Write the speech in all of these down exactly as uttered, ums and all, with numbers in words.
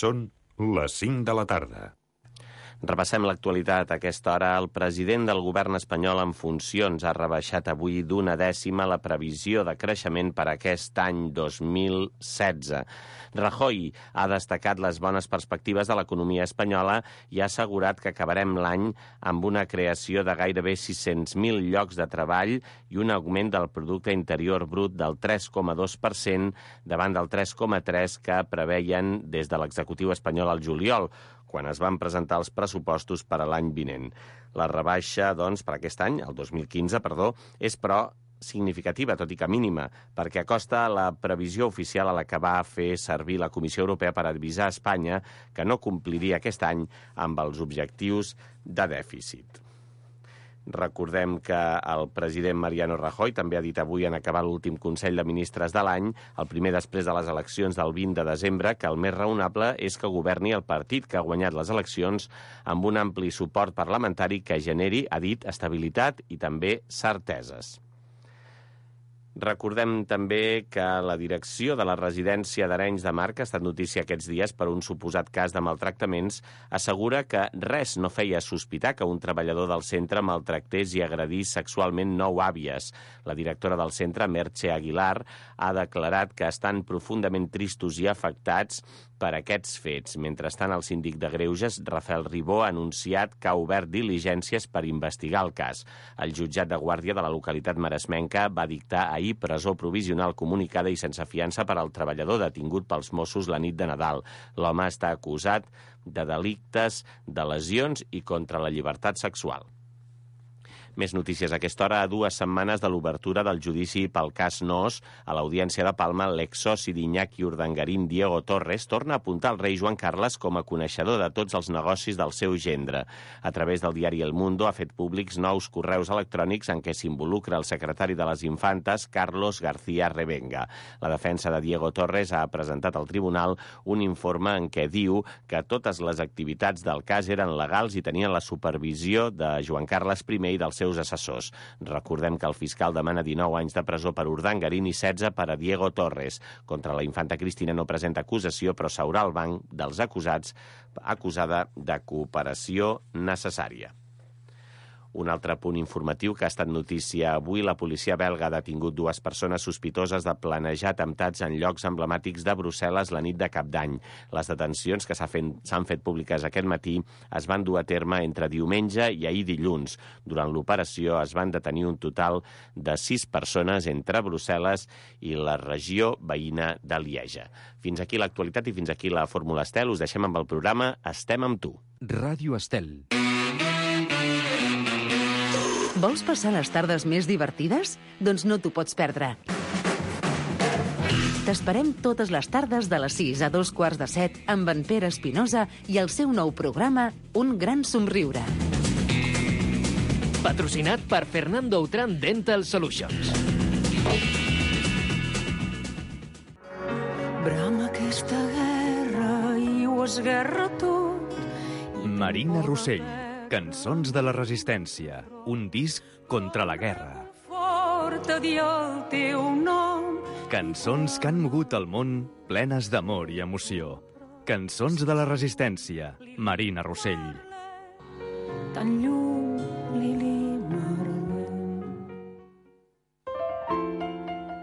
Són les cinc de la tarda. Repassem l'actualitat. A aquesta hora, el president del govern espanyol en funcions ha rebaixat avui d'una dècima la previsió de creixement per a aquest any dos mil setze. Rajoy ha destacat les bones perspectives de l'economia espanyola i ha assegurat que acabarem l'any amb una creació de gairebé sis-cents mil llocs de treball i un augment del producte interior brut del tres coma dos per cent davant del tres coma tres per cent que preveien des de l'executiu espanyol al juliol, quan es van presentar els pressupostos per a l'any vinent. La rebaixa, doncs, per aquest any, el dos mil quinze, perdó, és, però, significativa, tot i que mínima, perquè acosta la previsió oficial a la que va fer servir la Comissió Europea per avisar a Espanya que no compliria aquest any amb els objectius de dèficit. Recordem que el president Mariano Rajoy també ha dit avui en acabar l'últim Consell de Ministres de l'any, el primer després de les eleccions del vint de desembre, que el més raonable és que governi el partit que ha guanyat les eleccions amb un ampli suport parlamentari que generi, ha dit, estabilitat i també certeses. Recordem també que la direcció de la residència d'Arenys de Mar, que ha estat notícia aquests dies per un suposat cas de maltractaments, assegura que res no feia sospitar que un treballador del centre maltractés i agredís sexualment nou àvies. La directora del centre, Merche Aguilar, ha declarat que estan profundament tristos i afectats per aquests fets. Mentrestant, el síndic de Greuges, Rafael Ribó, ha anunciat que ha obert diligències per investigar el cas. El jutjat de guàrdia de la localitat maresmenca va dictar ahir presó provisional comunicada i sense fiança per al treballador detingut pels Mossos la nit de Nadal. L'home està acusat de delictes de lesions i contra la llibertat sexual. Més notícies a aquesta hora. A dues setmanes de l'obertura del judici pel cas Noos, a l'Audiència de Palma, l'exsoci d'Iñaki Urdangarín, Diego Torres, torna a apuntar el rei Joan Carles com a coneixedor de tots els negocis del seu gendre. A través del diari El Mundo ha fet públics nous correus electrònics en què s'involucra el secretari de les Infantes, Carlos García Revenga. La defensa de Diego Torres ha presentat al tribunal un informe en què diu que totes les activitats del cas eren legals i tenien la supervisió de Joan Carles primer i dels seus assessors. Recordem que el fiscal demana dinou anys de presó per Urdangarín i setze per a Diego Torres. Contra la infanta Cristina no presenta acusació, però s'haurà al banc dels acusats acusada de cooperació necessària. Un altre punt informatiu que ha estat notícia avui, la policia belga ha detingut dues persones sospitoses de planejar atemptats en llocs emblemàtics de Brussel·les la nit de Cap d'Any. Les detencions que s'han fet públiques aquest matí es van dur a terme entre diumenge i ahir dilluns. Durant l'operació es van detenir un total de sis persones entre Brussel·les i la regió veïna de Lieja. Fins aquí l'actualitat i fins aquí la Fórmula Estel. Us deixem amb el programa Estem amb tu. Ràdio Estel. Vols passar les tardes més divertides? Doncs no t'ho pots perdre. T'esperem totes les tardes de les sis a dos quarts de set amb en Pere Espinosa i el seu nou programa Un gran somriure. Patrocinat per Fernando Outram Dental Solutions. Brama aquesta guerra i ho esguerra tot. Marina Rossell. Cançons de la resistència, un disc contra la guerra. Fort a dir el teu nom. Cançons que han mogut el món plenes d'amor i emoció. Cançons de la resistència, Marina Rossell. Tan llum, Lili Marlene.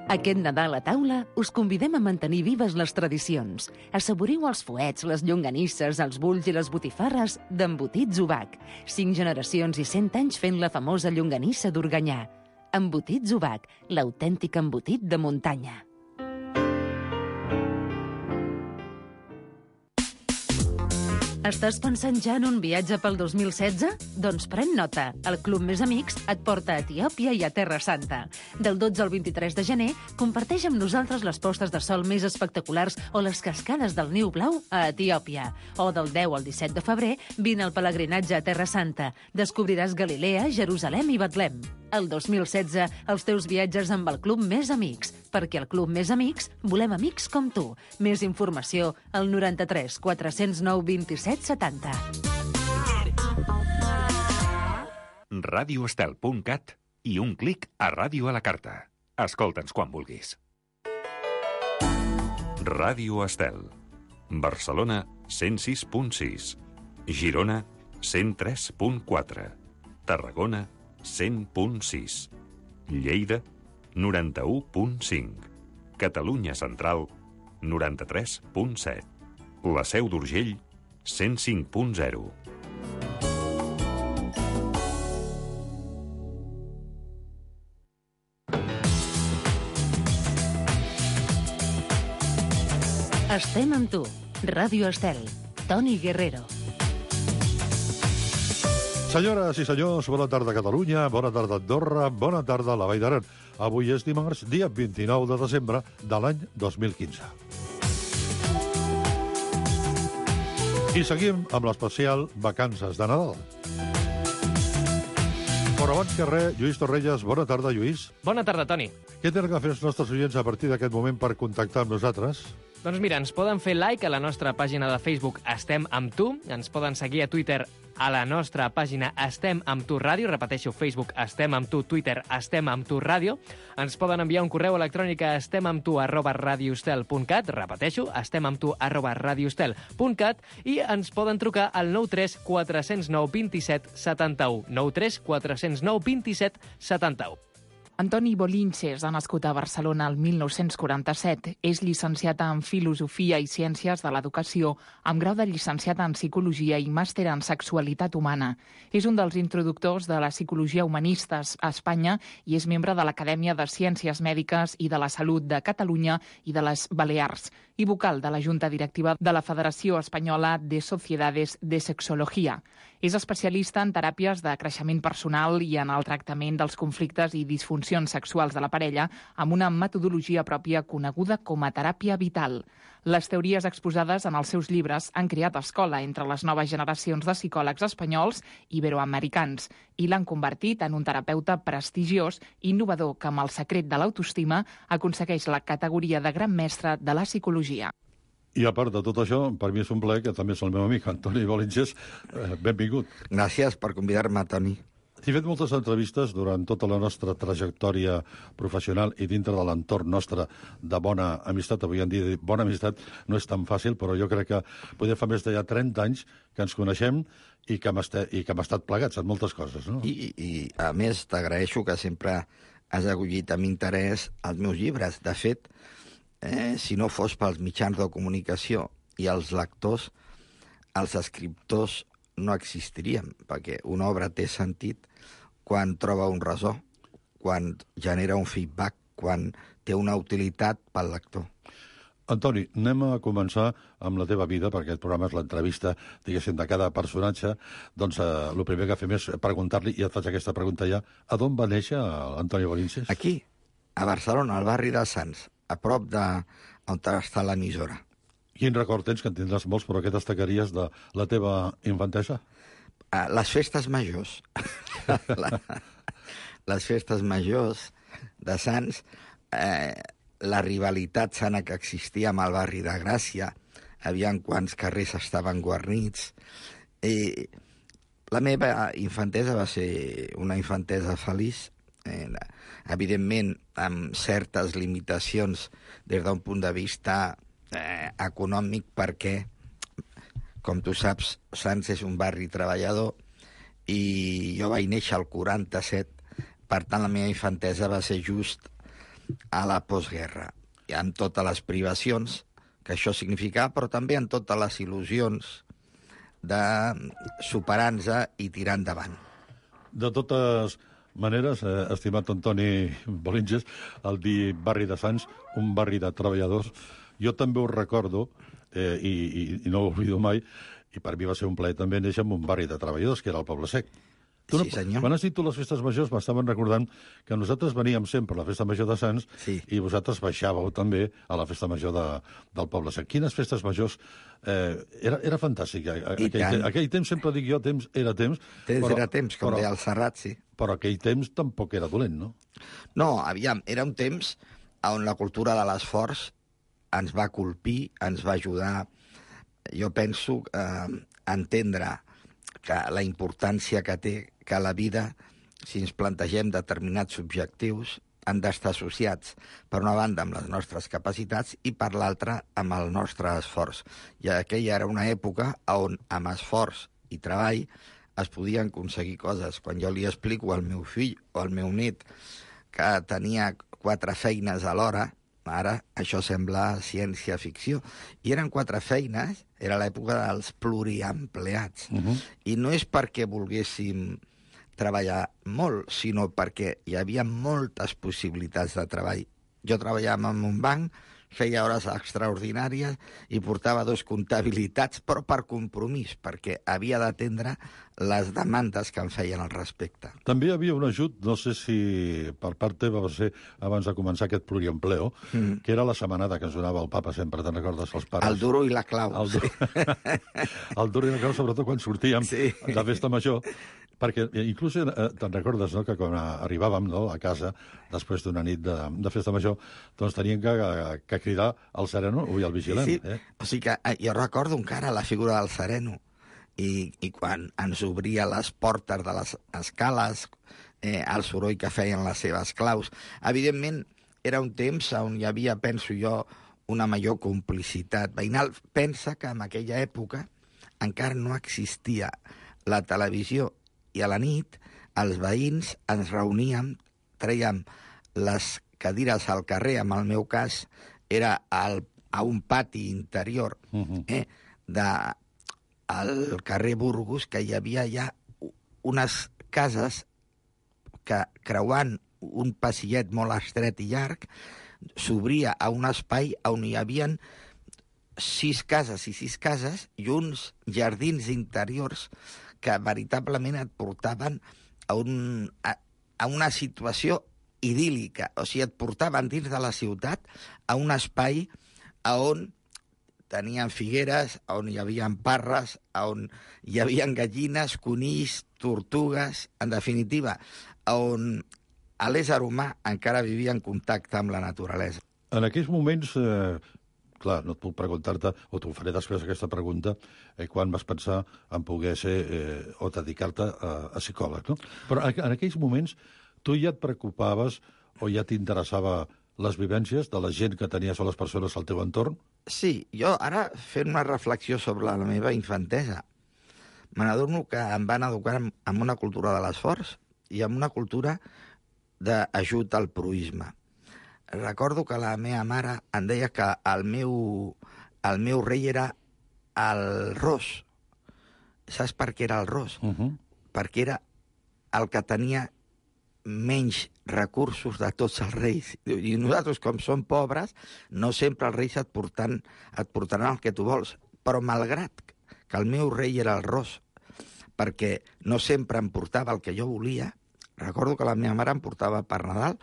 Aquest Nadal a taula us convidem a mantenir vives les tradicions. Assaboriu els fuets, les llonganisses, els bulls i les botifarres d'Embotits Ubac. Cinc generacions i cent anys fent la famosa llonganissa d'Organyà. Embotits Ubac, l'autèntic embotit de muntanya. Estàs pensant ja en un viatge pel dos mil setze? Doncs pren nota. El Club Més Amics et porta a Etiòpia i a Terra Santa. Del dotze al vint-i-tres de gener, comparteix amb nosaltres les postes de sol més espectaculars o les cascades del Niu Blau a Etiòpia. O del deu al disset de febrer, vine al pelegrinatge a Terra Santa. Descobriràs Galilea, Jerusalem i Betlem. El dos mil setze, els teus viatges amb el Club Més Amics, perquè al Club Més Amics volem amics com tu. Més informació al noranta-tres quatre cents nou vint-i-set setanta. ràdio estel punt cat i un clic a Ràdio a la Carta. Escolta'ns quan vulguis. Ràdio Estel. Barcelona cent sis punt sis. Girona, cent tres punt quatre. Tarragona, cent punt sis. Lleida, noranta-u punt cinc. Catalunya Central, noranta-tres punt set. La Seu d'Urgell, cent cinc punt zero. Estem amb tu. Ràdio Estel. Toni Guerrero. Senyores i senyors, bona tarda Catalunya, bona tarda Andorra, bona tarda la Vall d'Aran. Avui és dimarts, dia vint-i-nou de desembre de l'any dos mil quinze. I seguim amb l'especial Vacances de Nadal. Però abans que res, Lluís Torrelles, bona tarda, Lluís. Bona tarda, Toni. Què tenen que fer els nostres oients a partir d'aquest moment per contactar amb nosaltres? Doncs mira, ens poden fer like a la nostra pàgina de Facebook Estem amb tu, ens poden seguir a Twitter a la nostra pàgina Estem amb tu ràdio, repeteixo, Facebook Estem amb tu, Twitter Estem amb tu ràdio, ens poden enviar un correu electrònic a estemamtu arroba radiostel punt cat, repeteixo, estemamtu arroba radiostel punt cat, i ens poden trucar al nou tres quatre zero nou dos set set u, nou tres quatre zero nou dos set set u. Antoni Bolinches ha nascut a Barcelona el mil nou-cents quaranta-set. És llicenciat en Filosofia i Ciències de l'Educació, amb grau de llicenciat en Psicologia i màster en Sexualitat Humana. És un dels introductors de la psicologia humanista a Espanya i és membre de l'Acadèmia de Ciències Mèdiques i de la Salut de Catalunya i de les Balears, i vocal de la Junta Directiva de la Federació Espanyola de Sociedades de Sexología. És especialista en teràpies de creixement personal i en el tractament dels conflictes i disfuncions sexuals de la parella amb una metodologia pròpia coneguda com a teràpia vital. Les teories exposades en els seus llibres han creat escola entre les noves generacions de psicòlegs espanyols i iberoamericans i l'han convertit en un terapeuta prestigiós i innovador que, amb el secret de l'autoestima, aconsegueix la categoria de gran mestre de la psicologia. I a part de tot això, per mi és un plaer que també és el meu amic, Antoni Bolinches. Eh, benvingut. Gràcies per convidar-me, Toni. He fet moltes entrevistes durant tota la nostra trajectòria professional i dintre de l'entorn nostre de bona amistat. Avui en dia bona amistat no és tan fàcil, però jo crec que poder fa més de ja trenta anys que ens coneixem i que hem, estat, i que hem estat plegats en moltes coses, no? I, i a més, t'agraeixo que sempre has acollit amb interès els meus llibres. De fet, eh, si no fos pels mitjans de comunicació i els lectors, els escriptors no existiríem, perquè una obra té sentit quan troba un ressò, quan genera un feedback, quan té una utilitat pel lector. Antoni, anem a començar amb la teva vida, perquè aquest programa és l'entrevista, diguéssim, de cada personatge. Doncs eh, el primer que fem és preguntar-li, i et faig aquesta pregunta ja, a d'on va néixer Antoni Bolinches? Aquí, a Barcelona, al barri de Sants, a prop de on està l'emissora. Quin record tens, que en tindràs molts, però què destacaries de la teva infantesa? Uh, les festes majors. la, les festes majors de Sants, eh, la rivalitat sana que existia amb el barri de Gràcia, aviam quants carrers estaven guarnits. I la meva infantesa va ser una infantesa feliç, eh, evidentment amb certes limitacions des d'un punt de vista Eh, econòmic, perquè, com tu saps, Sants és un barri treballador i jo vaig néixer al quaranta-set, per tant la meva infantesa va ser just a la postguerra, i amb totes les privacions que això significava, però també amb totes les il·lusions de superar-nos i tirar endavant. De totes maneres, eh, estimat Antoni Bolinches, el dir barri de Sants, un barri de treballadors, jo també ho recordo, eh, i, i, i no ho oblido mai, i per mi va ser un plaer també néixer en un barri de treballadors, que era el Poble Sec. Tu no, sí, senyor. Quan has dit tu les festes majors, m'estaven recordant que nosaltres veníem sempre a la festa major de Sants, sí, i vosaltres baixàveu també a la festa major de, del Poble Sec. Quines festes majors? Eh, era, era fantàstic. Aquell, te, aquell temps, sempre dic jo, temps era temps. Temps però, era temps, com però, deia el Serrat, sí. Però aquell temps tampoc era dolent, no? No, aviam, era un temps on la cultura de l'esforç ens va colpir, ens va ajudar, jo penso, eh, a entendre que la importància que té que la vida, si ens plantegem determinats objectius, han d'estar associats, per una banda, amb les nostres capacitats i per l'altra, amb el nostre esforç. I aquella era una època on, amb esforç i treball, es podien aconseguir coses. Quan jo li explico al meu fill o al meu net que tenia quatre feines alhora, ara això sembla ciència-ficció, i eren quatre feines, era l'època dels pluriempleats. Uh-huh. I no és perquè volguéssim treballar molt, sinó perquè hi havia moltes possibilitats de treball. Jo treballava en un banc, feia hores extraordinàries i portava dos comptabilitats, però per compromís, perquè havia d'atendre les demandes que em feien al respecte. També hi havia un ajut, no sé si per part teva va ser abans de començar aquest pluriempleo, mm. que era la setmanada que ens donava el papa sempre, te'n recordes, els pares? El duro i la clau. El, du... sí. el duro i la clau, sobretot quan sortíem sí. de festa major, perquè inclús eh, te'n recordes, no?, que quan arribàvem, no?, a casa després d'una nit de, de festa major, doncs teníem que, que cridar el sereno o el vigilant. Sí, sí. Eh? O sigui que jo recordo encara la figura del sereno i, i quan ens obria les portes de les escales, eh, el soroll que feien les seves claus. Evidentment, era un temps on hi havia, penso jo, una major complicitat veïnal. Pensa que en aquella època encara no existia la televisió i a la nit els veïns ens reuníem, trèiem les cadires al carrer, en el meu cas era al, a un pati interior uh-huh. eh, de, al carrer Burgos, que hi havia ja unes cases que creuant un passillet molt estret i llarg s'obria a un espai on hi havia sis cases i sis cases i uns jardins interiors que veritablement et portaven a, un, a, a una situació idíl·lica. O sigui, et portaven dins de la ciutat a un espai on tenien figueres, on hi havia parres, on hi havia gallines, conills, tortugues, en definitiva, on l'ésser humà encara vivia en contacte amb la naturalesa. En aquells moments... Eh... Clar, no et puc preguntar-te, o t'ho faré després aquesta pregunta, eh, quan vas pensar en poder ser eh, o dedicar-te a, a psicòleg, no? Però en, en aquells moments tu ja et preocupaves o ja t'interessava les vivències de la gent que tenies o les persones al teu entorn? Sí, jo ara fent una reflexió sobre la meva infantesa, me n'adorno que em van educar amb una cultura de l'esforç i amb una cultura d'ajut al proisme. Recordo que la meva mare em deia que el meu, el meu rei era el ros. Saps per què era el ros? Uh-huh. Perquè era el que tenia menys recursos de tots els reis. I nosaltres, com som pobres, no sempre els reis et, portant, et portaran el que tu vols. Però malgrat que el meu rei era el ros, perquè no sempre em portava el que jo volia, recordo que la meva mare em portava per Nadal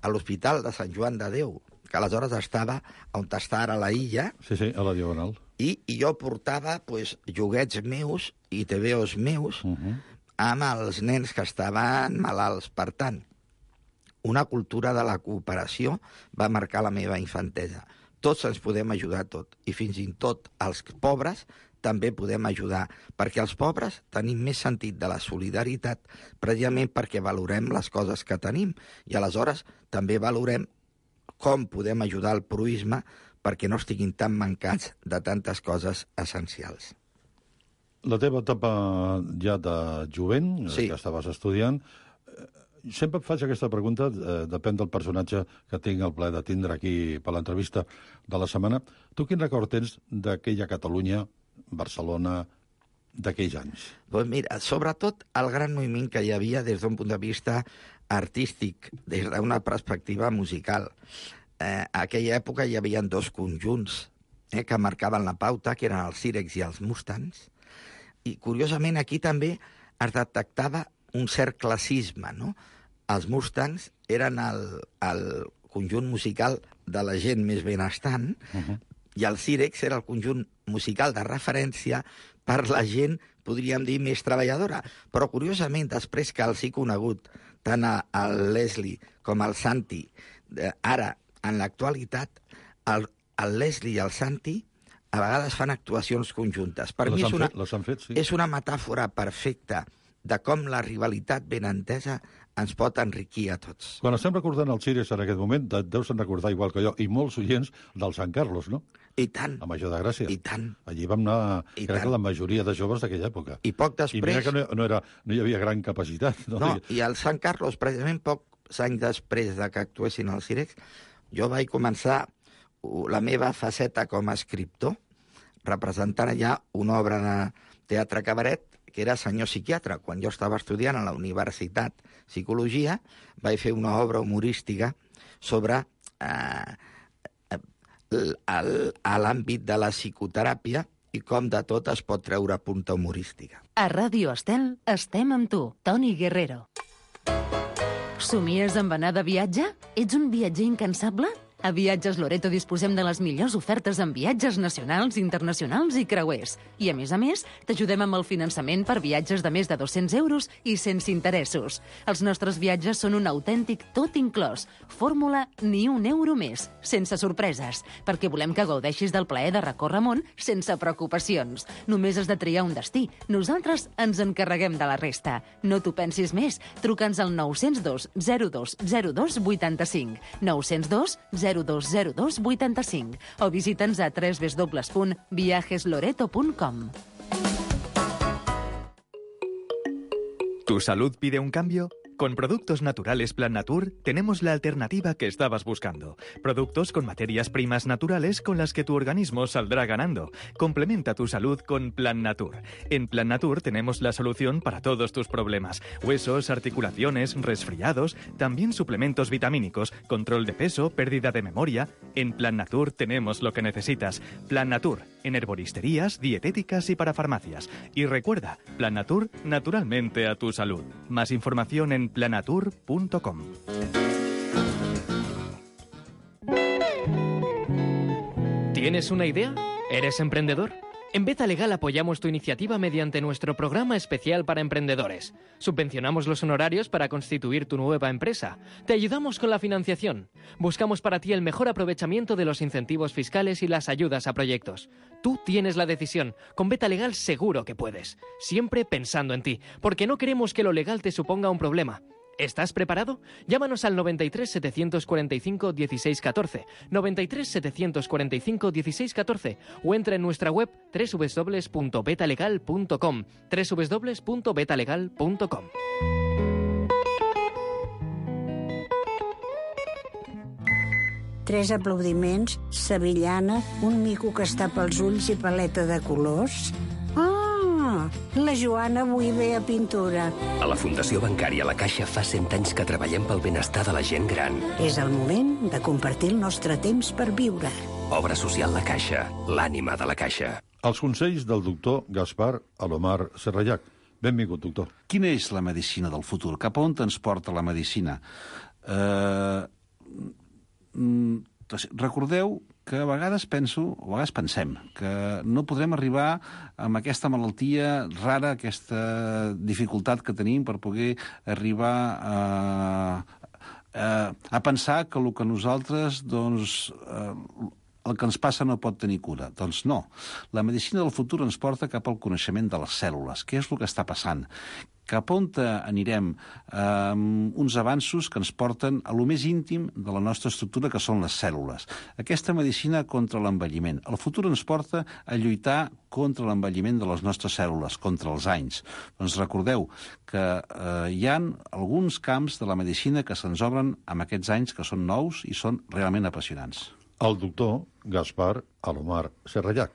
a l'Hospital de Sant Joan de Déu, que aleshores estava on està ara la illa. Sí, sí, a la Diagonal. I, i jo portava pues, joguets meus i tebeos meus uh-huh. amb els nens que estaven malalts. Per tant, una cultura de la cooperació va marcar la meva infantesa. Tots ens podem ajudar tot, i fins i tot els pobres també podem ajudar, perquè els pobres tenim més sentit de la solidaritat precisament perquè valorem les coses que tenim i aleshores també valorem com podem ajudar el proisme perquè no estiguin tan mancats de tantes coses essencials. La teva etapa ja de jovent, sí. que estaves estudiant, sempre em faig aquesta pregunta, eh, depèn del personatge que tinc el plaer de tindre aquí per l'entrevista de la setmana. Tu quin record tens d'aquella Catalunya, Barcelona, d'aquells anys? Pues mira, sobretot el gran moviment que hi havia des d'un punt de vista artístic, des d'una perspectiva musical. Eh, a aquella època hi havia dos conjunts eh, que marcaven la pauta, que eren els Sírex i els Mustangs, i curiosament aquí també es detectava un cert classisme, no? Els Mustangs eren el, el conjunt musical de la gent més benestant, uh-huh. i el Sírex era el conjunt musical de referència per la gent, podríem dir, més treballadora. Però, curiosament, després que els he conegut, tant el Leslie com el Santi, ara, en l'actualitat, el, el Leslie i el Santi a vegades fan actuacions conjuntes. Per les mi és una, fet, les han fet, sí. és una metàfora perfecta de com la rivalitat ben entesa ens pot enriquir a tots. Quan estem recordant el Sires en aquest moment, et deus recordar igual que jo, i molts oients del Sant Carlos, no? I tant. A Major de Gràcia. I tant. Allí vam anar, I crec tant. que la majoria de joves d'aquella època. I poc després... I mira que no, no, era, no hi havia gran capacitat. No, no i al Sant Carlos, precisament pocs anys després de que actuessin al Cirex, jo vaig començar la meva faceta com a escriptor, representant allà una obra de teatre cabaret, que era Senyor psiquiatre. Quan jo estava estudiant a la Universitat Psicologia, vaig fer una obra humorística sobre eh, l'àmbit de la psicoteràpia i com de tot es pot treure punta humorística. A Ràdio Estel estem amb tu, Toni Guerrero. Somies amb anar de viatge? Ets un viatger incansable? A Viatges Loreto disposem de les millors ofertes en viatges nacionals, internacionals i creuers. I, a més a més, t'ajudem amb el finançament per viatges de més de dos-cents euros i sense interessos. Els nostres viatges són un autèntic tot inclòs. Fórmula ni un euro més, sense sorpreses, perquè volem que gaudeixis del plaer de recórrer món sense preocupacions. Només has de triar un destí. Nosaltres ens encarreguem de la resta. No t'ho pensis més. Truca'ns al nou zero dos zero dos zero dos vuitanta-cinc. nou zero dos zero dos zero dos vuitanta-cinc o visita'ns a w w w punt viajes loreto punt com. ¿Tu salud pide un cambio? Con Productos Naturales Plan Natur tenemos la alternativa que estabas buscando. Productos con materias primas naturales con las que tu organismo saldrá ganando. Complementa tu salud con Plan Natur. En Plan Natur tenemos la solución para todos tus problemas. Huesos, articulaciones, resfriados, también suplementos vitamínicos, control de peso, pérdida de memoria. En Plan Natur tenemos lo que necesitas. Plan Natur, en herboristerías, dietéticas y para farmacias. Y recuerda, Plan Natur, naturalmente a tu salud. Más información en planatur punto com. ¿Tienes una idea? ¿Eres emprendedor? En Beta Legal apoyamos tu iniciativa mediante nuestro programa especial para emprendedores. Subvencionamos los honorarios para constituir tu nueva empresa. Te ayudamos con la financiación. Buscamos para ti el mejor aprovechamiento de los incentivos fiscales y las ayudas a proyectos. Tú tienes la decisión. Con Beta Legal seguro que puedes. Siempre pensando en ti, porque no queremos que lo legal te suponga un problema. ¿Estás preparado? Llámanos al noventa y tres, setecientos cuarenta y cinco, dieciséis catorce, noventa y tres, setecientos cuarenta y cinco, dieciséis catorce o entra en nuestra web doble u doble u doble u punto beta legal punto com, doble u doble u doble u punto beta legal punto com. Tres aplaudiments, sevillana, un mico que està pels ulls i paleta de colors. Ah, la Joana avui ve a pintura. A la Fundació Bancària La Caixa fa cent anys que treballem pel benestar de la gent gran. És el moment de compartir el nostre temps per viure. Obra social La Caixa, l'ànima de la Caixa. Els consells del doctor Gaspar Alomar Serrallac. Benvingut, doctor. Quina és la medicina del futur? Cap a on ens porta la medicina? Eh... Recordeu que a vegades penso, o a vegades pensem, que no podrem arribar amb aquesta malaltia rara, aquesta dificultat que tenim per poder arribar a, a, a pensar que el que nosaltres, doncs, el que ens passa no pot tenir cura. Doncs no. La medicina del futur ens porta cap al coneixement de les cèl·lules. Què és el que està passant? Cap on anirem amb uns avanços que ens porten a lo més íntim de la nostra estructura, que són les cèl·lules. Aquesta medicina contra l'envelliment. El futur ens porta a lluitar contra l'envelliment de les nostres cèl·lules, contra els anys. Doncs recordeu que eh, hi ha alguns camps de la medicina que se'ns obren amb aquests anys, que són nous i són realment apassionants. El doctor Gaspar Alomar Serrallac.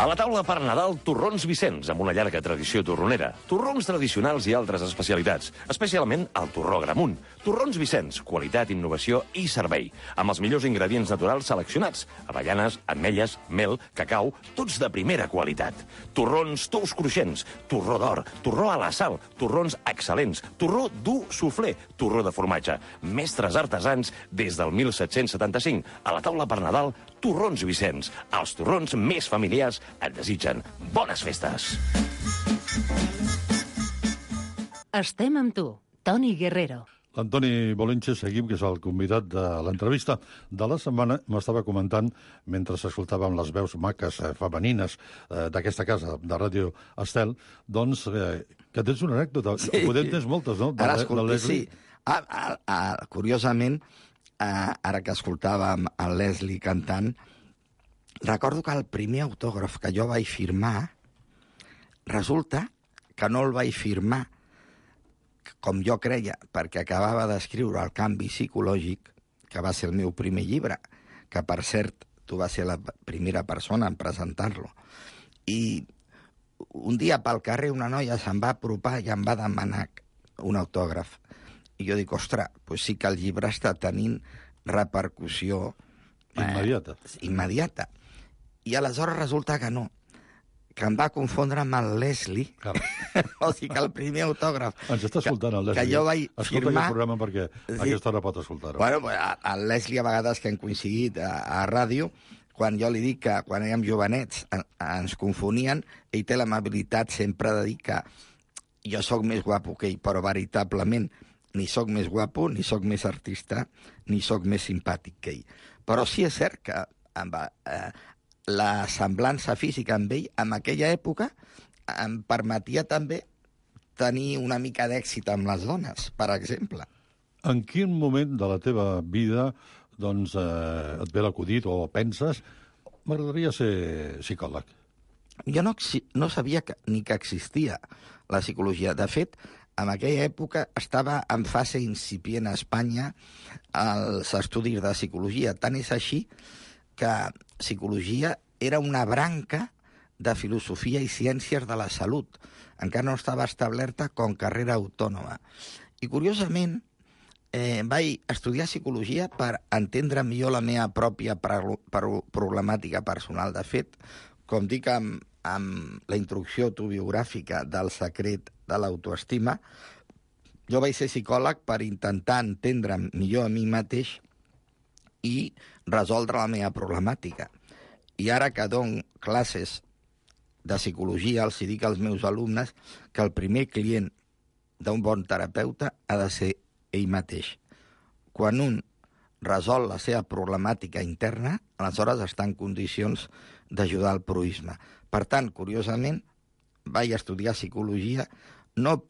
A la taula per Nadal, torrons Vicenç, amb una llarga tradició torronera. Torrons tradicionals i altres especialitats, especialment el torró Gramunt. Torrons Vicenç, qualitat, innovació i servei, amb els millors ingredients naturals seleccionats. Avellanes, ametlles, mel, cacau, tots de primera qualitat. Torrons tous cruixents, torró d'or, torró a la sal, torrons excel·lents, torró dur suflé, torró de formatge. Mestres artesans des del mil set-cents setanta-cinc. A la taula per Nadal, torrons Vicenç. Els torrons més familiars et desitgen bones festes. Estem amb tu, Toni Guerrero. L'Antoni Bolinches, seguim, que és el convidat de l'entrevista de la setmana, m'estava comentant, mentre escoltàvem les veus maques, eh, femenines, eh, d'aquesta casa, de Ràdio Estel, doncs, eh, Que tens una anècdota. Sí. Podem tens moltes, no? De, ara, de escolti, Leslie. sí. Ah, ah, ah, curiosament, ah, ara que escoltàvem el Leslie cantant, recordo que el primer autògraf que jo vaig firmar, resulta que no el vaig firmar com jo creia, perquè acabava d'escriure El canvi psicològic, que va ser el meu primer llibre, que, per cert, tu vas ser la primera persona en presentar-lo. I un dia pel carrer una noia se'm va apropar i em va demanar un autògraf. I jo dic, ostres, pues sí que el llibre està tenint repercussió... Immediata. Eh, immediata. I aleshores resulta que no, que em va confondre amb el Leslie. O sigui que el primer autògraf... Ens està escoltant el Leslie. Que jo vaig Escolta firmar... aquest programa perquè sí. A aquesta hora pot escoltar-ho. Bueno, el Leslie, a vegades que hem coincidit a, a ràdio, quan jo li dic que quan érem jovenets ens confonien, ell té l'amabilitat sempre de dir que jo sóc més guapo que ell, però veritablement ni sóc més guapo, ni sóc més artista, ni sóc més simpàtic que ell. Però sí és cert que amb, eh, la semblança física amb ell, en aquella època, em permetia també tenir una mica d'èxit amb les dones, per exemple. En quin moment de la teva vida doncs, eh, et ve l'acudit o penses m'agradaria ser psicòleg? Jo no, no sabia que, ni que existia la psicologia. De fet, en aquella època estava en fase incipient a Espanya els estudis de psicologia. Tant és així que psicologia era una branca de filosofia i ciències de la salut. Encara no estava establerta com carrera autònoma. I, curiosament, eh, vaig estudiar psicologia per entendre millor la meva pròpia problemàtica personal. De fet, com dic amb, amb la introducció autobiogràfica del secret de l'autoestima, jo vaig ser psicòleg per intentar entendre millor a mi mateix i resoldre la meva problemàtica. I ara que dono classes de psicologia, els dic als meus alumnes que el primer client d'un bon terapeuta ha de ser ell mateix. Quan un resol la seva problemàtica interna, aleshores està en condicions d'ajudar al proisme. Per tant, curiosament, vaig estudiar psicologia no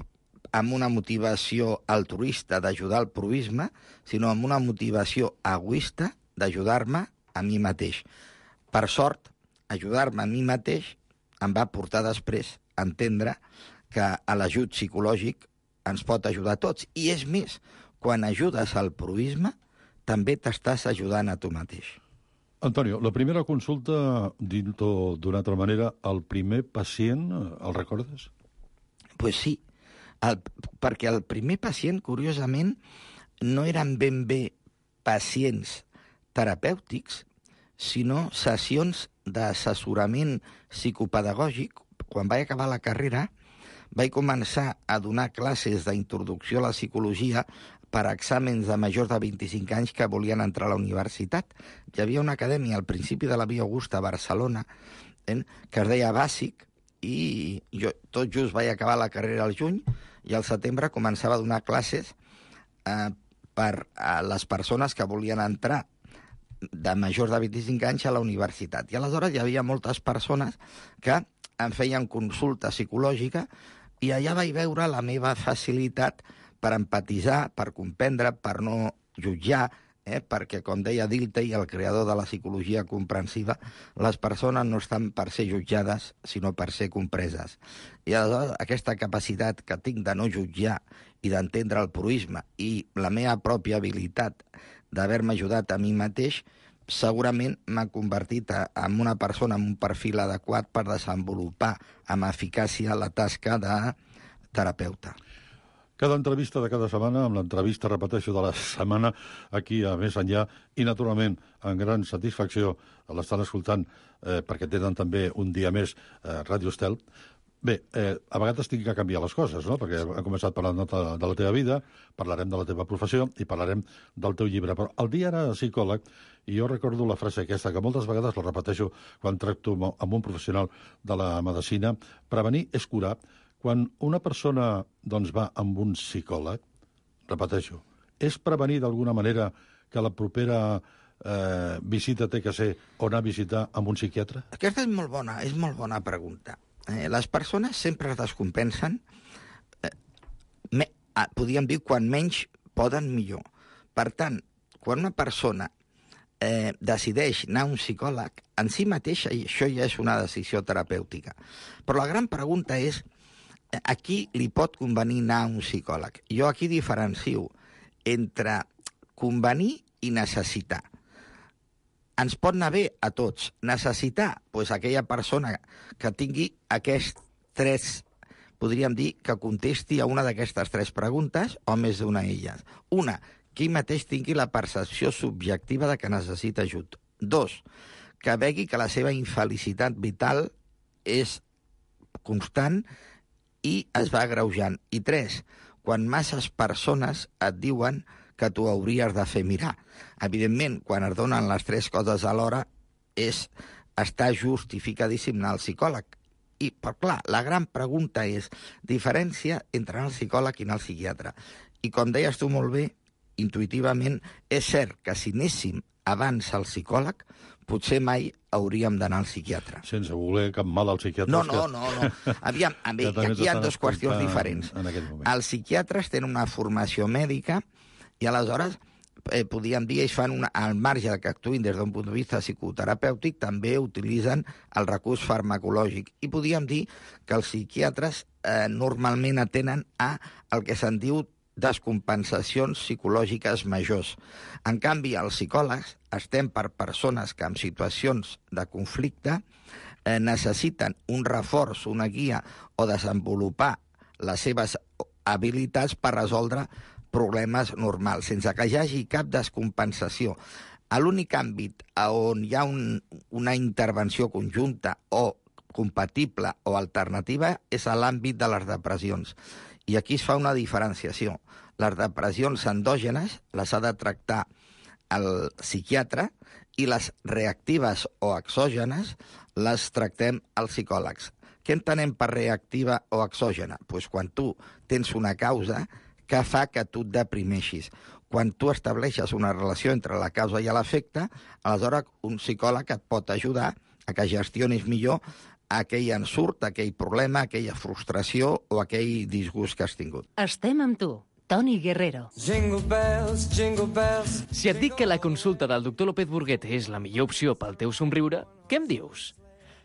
amb una motivació altruista d'ajudar al proisme, sinó amb una motivació egoista d'ajudar-me a mi mateix. Per sort, ajudar-me a mi mateix em va portar després a entendre que l'ajut psicològic ens pot ajudar a tots. I és més, quan ajudes al proisme, també t'estàs ajudant a tu mateix. Antonio, la primera consulta, dit-ho d'una altra manera, el primer pacient, el recordes? Pues sí, el, perquè el primer pacient, curiosament, no eren ben bé pacients terapèutics, sinó sessions d'assessorament psicopedagògic. Quan vaig acabar la carrera, vaig començar a donar classes d'introducció a la psicologia per a exàmens de majors de vint-i-cinc anys que volien entrar a la universitat. Hi havia una acadèmia al principi de la Via Augusta a Barcelona eh, que es deia Bàsic, i jo tot just vaig acabar la carrera al juny i al setembre començava a donar classes eh, per a les persones que volien entrar de majors de vint-i-cinc anys a la universitat. I aleshores hi havia moltes persones que em feien consulta psicològica i allà vaig veure la meva facilitat per empatitzar, per comprendre, per no jutjar, eh? perquè, com deia Dilthey, el creador de la psicologia comprensiva, les persones no estan per ser jutjades, sinó per ser compreses. I aleshores aquesta capacitat que tinc de no jutjar i d'entendre el proisme i la meva pròpia habilitat d'haver-me ajudat a mi mateix, segurament m'ha convertit en una persona amb un perfil adequat per desenvolupar amb eficàcia la tasca de terapeuta. Cada entrevista de cada setmana, amb l'entrevista, repeteixo, de la setmana, aquí a Més Enllà, i naturalment, amb gran satisfacció, l'estan escoltant, eh, perquè tenen també un dia més eh, Ràdio Estel. Bé, eh, a vegades tinc que canviar les coses, no?, perquè hem començat parlant de, de la teva vida, parlarem de la teva professió i parlarem del teu llibre. Però el dia era psicòleg, i jo recordo la frase aquesta, que moltes vegades la repeteixo quan tracto amb un professional de la medicina: prevenir és curar. Quan una persona doncs, va amb un psicòleg, repeteixo, és prevenir d'alguna manera que la propera eh, visita té que ser o anar a visitar amb un psiquiatre? Aquesta és molt bona, és molt bona pregunta. Eh, les persones sempre es descompensen podríem dir, quan menys poden, millor. Per tant, quan una persona eh, decideix anar a un psicòleg, en si mateixa, i això ja és una decisió terapèutica. Però la gran pregunta és, a qui li pot convenir anar a un psicòleg? Jo aquí diferencio entre convenir i necessitar. Ens pot anar bé a tots. Necessitar, doncs aquella persona que tingui aquests tres, podríem dir, que contesti a una d'aquestes tres preguntes o més d'una d'elles. Una, que ell mateix tingui la percepció subjectiva de que necessita ajut. Dos, que vegi que la seva infelicitat vital és constant i es va agreujant. I tres, quan masses persones et diuen que tu hauries de fer mirar. Evidentment, quan es donen les tres coses alhora, és, està justificadíssim anar al psicòleg. I, però clar, la gran pregunta és diferència entre anar al psicòleg i anar al psiquiatre. I com deies tu molt bé, intuïtivament, és cert que si anéssim abans al psicòleg, potser mai hauríem d'anar al psiquiatre. Sense voler cap mal al psiquiatre. No, no, no. no. Aviam, a mi, aquí hi ha dues qüestions diferents. Els psiquiatres tenen una formació mèdica i aleshores, eh, podríem dir, ells fan una, al marge que actuïn des d'un punt de vista psicoterapèutic, també utilitzen el recurs farmacològic. I podríem dir que els psiquiatres eh, normalment atenen a el que se'n diu descompensacions psicològiques majors. En canvi, els psicòlegs estem per persones que en situacions de conflicte eh, necessiten un reforç, una guia o desenvolupar les seves habilitats per resoldre problemes normals, sense que hi hagi cap descompensació. A l'únic àmbit on hi ha un, una intervenció conjunta o compatible o alternativa és a l'àmbit de les depressions. I aquí es fa una diferenciació. Les depressions endògenes les ha de tractar el psiquiatre i les reactives o exògenes les tractem els psicòlegs. Què entenem per reactiva o exògena? Pues quan tu tens una causa que fa que tu et deprimeixis. Quan tu estableixes una relació entre la causa i l'efecte, aleshores un psicòleg et pot ajudar a que gestionis millor aquell ensurt, aquell problema, aquella frustració o aquell disgust que has tingut. Estem amb tu, Toni Guerrero. Jingle bells, jingle bells. Si et dic que la consulta del doctor López Burguete és la millor opció pel teu somriure, què em dius?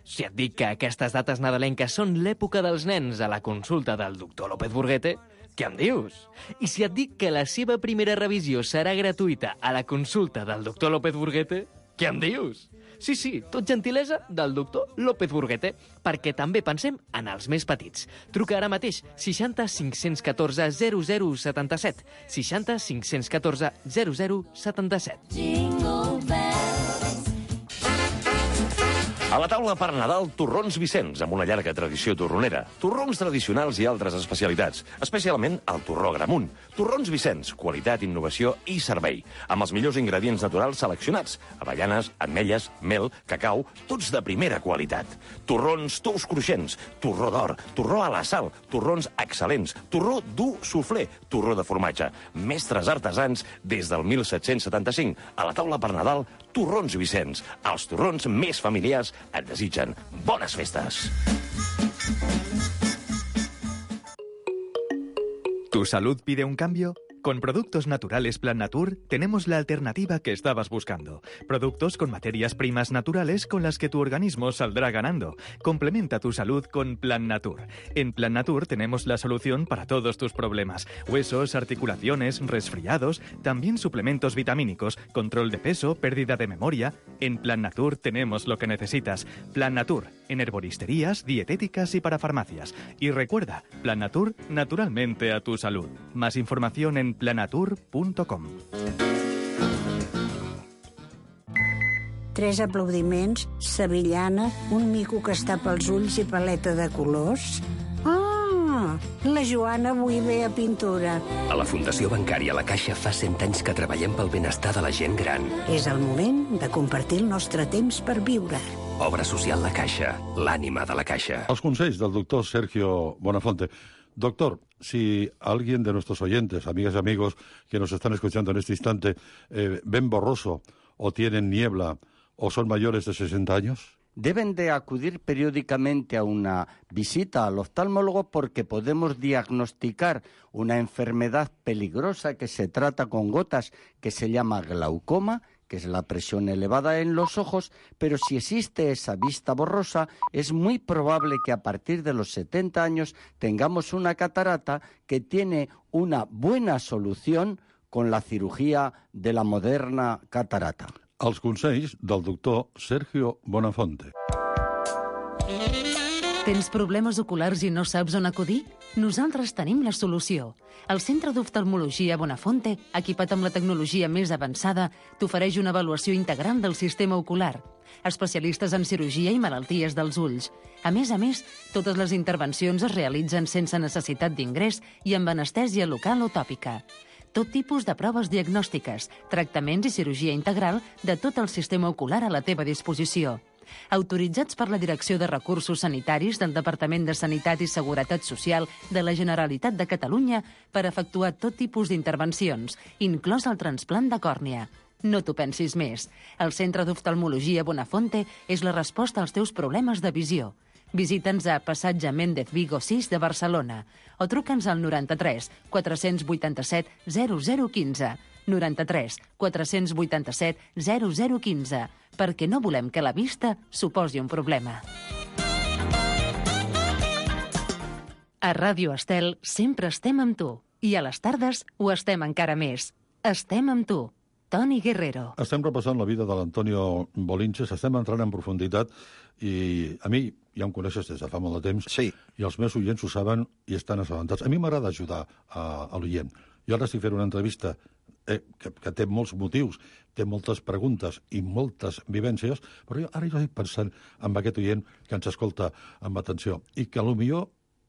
Si et dic que aquestes dates nadalenques són l'època dels nens a la consulta del doctor López Burguete, què em dius? I si et dic que la seva primera revisió serà gratuïta a la consulta del doctor López Burguete, què em dius? Sí, sí, tot gentilesa del doctor López Burguete, perquè també pensem en els més petits. Truca ara mateix seixanta cinc-cents catorze zero zero setanta-set, seixanta cinc-cents catorze zero zero setanta-set. Jingle bells. A la taula per Nadal, torrons Vicenç, amb una llarga tradició torronera. Torrons tradicionals i altres especialitats, especialment el torró Gramunt. Torrons Vicenç, qualitat, innovació i servei. Amb els millors ingredients naturals seleccionats. Avellanes, ametlles, mel, cacau, tots de primera qualitat. Torrons tous cruixents, torró d'or, torró a la sal, torrons excel·lents, torró dur soufflé, torró de formatge. Mestres artesans des del mil set-cents setanta-cinc. A la taula per Nadal, torrons Vicenç. Els torrons més familiars et desitgen bones festes. ¿Tu salud pide un cambio? Con Productos Naturales Plan Natur tenemos la alternativa que estabas buscando. Productos con materias primas naturales con las que tu organismo saldrá ganando. Complementa tu salud con Plan Natur. En Plan Natur tenemos la solución para todos tus problemas. Huesos, articulaciones, resfriados, también suplementos vitamínicos, control de peso, pérdida de memoria. En Plan Natur tenemos lo que necesitas. Plan Natur, en herboristerías, dietéticas y para farmacias. Y recuerda, Plan Natur, naturalmente a tu salud. Más información en planatur punto com. Tres aplaudiments, sevillana, un mico que està pels ulls i paleta de colors. Ah, la Joana avui ve a pintura. A la Fundació Bancària La Caixa fa cent anys que treballem pel benestar de la gent gran. És el moment de compartir el nostre temps per viure. Obra social La Caixa, l'ànima de la Caixa. Els consells del doctor Sergio Bonafonte. Doctor, si alguien de nuestros oyentes, amigas y amigos que nos están escuchando en este instante, eh, ven borroso o tienen niebla o son mayores de sesenta años... deben de acudir periódicamente a una visita al oftalmólogo porque podemos diagnosticar una enfermedad peligrosa que se trata con gotas que se llama glaucoma, que es la presión elevada en los ojos, pero si existe esa vista borrosa, es muy probable que a partir de los setenta años tengamos una catarata que tiene una buena solución con la cirugía de la moderna catarata. Els consells del doctor Sergio Bonafonte. Tens problemes oculars i no saps on acudir? Nosaltres tenim la solució. El Centre d'Oftalmologia Bonafonte, equipat amb la tecnologia més avançada, t'ofereix una avaluació integral del sistema ocular. Especialistes en cirurgia i malalties dels ulls. A més a més, totes les intervencions es realitzen sense necessitat d'ingrés i amb anestèsia local o tòpica. Tot tipus de proves diagnòstiques, tractaments i cirurgia integral de tot el sistema ocular a la teva disposició. Autoritzats per la Direcció de Recursos Sanitaris del Departament de Sanitat i Seguretat Social de la Generalitat de Catalunya per efectuar tot tipus d'intervencions, inclòs el trasplant de còrnia. No t'ho pensis més. El Centre d'Oftalmologia Bonafonte és la resposta als teus problemes de visió. Visita'ns a Passatge Méndez Vigo sis de Barcelona o truca'ns al noranta-tres quatre-cents vuitanta-set zero zero quinze, noranta-tres quatre-cents vuitanta-set zero zero quinze, perquè no volem que la vista suposi un problema. A Ràdio Estel sempre estem amb tu i a les tardes ho estem encara més. Estem amb tu. Toni Guerrero. Estem repassant la vida de l'Antonio Bolinches, estem entrant en profunditat i a mi ja em coneixes des de fa molt de temps sí. I els meus oients ho saben i estan assabentats. A mi m'agrada ajudar a, a l'oient. Jo ara estic fent una entrevista eh, que, que té molts motius, té moltes preguntes i moltes vivències, però jo, ara jo estic pensant en aquest oient que ens escolta amb atenció i que potser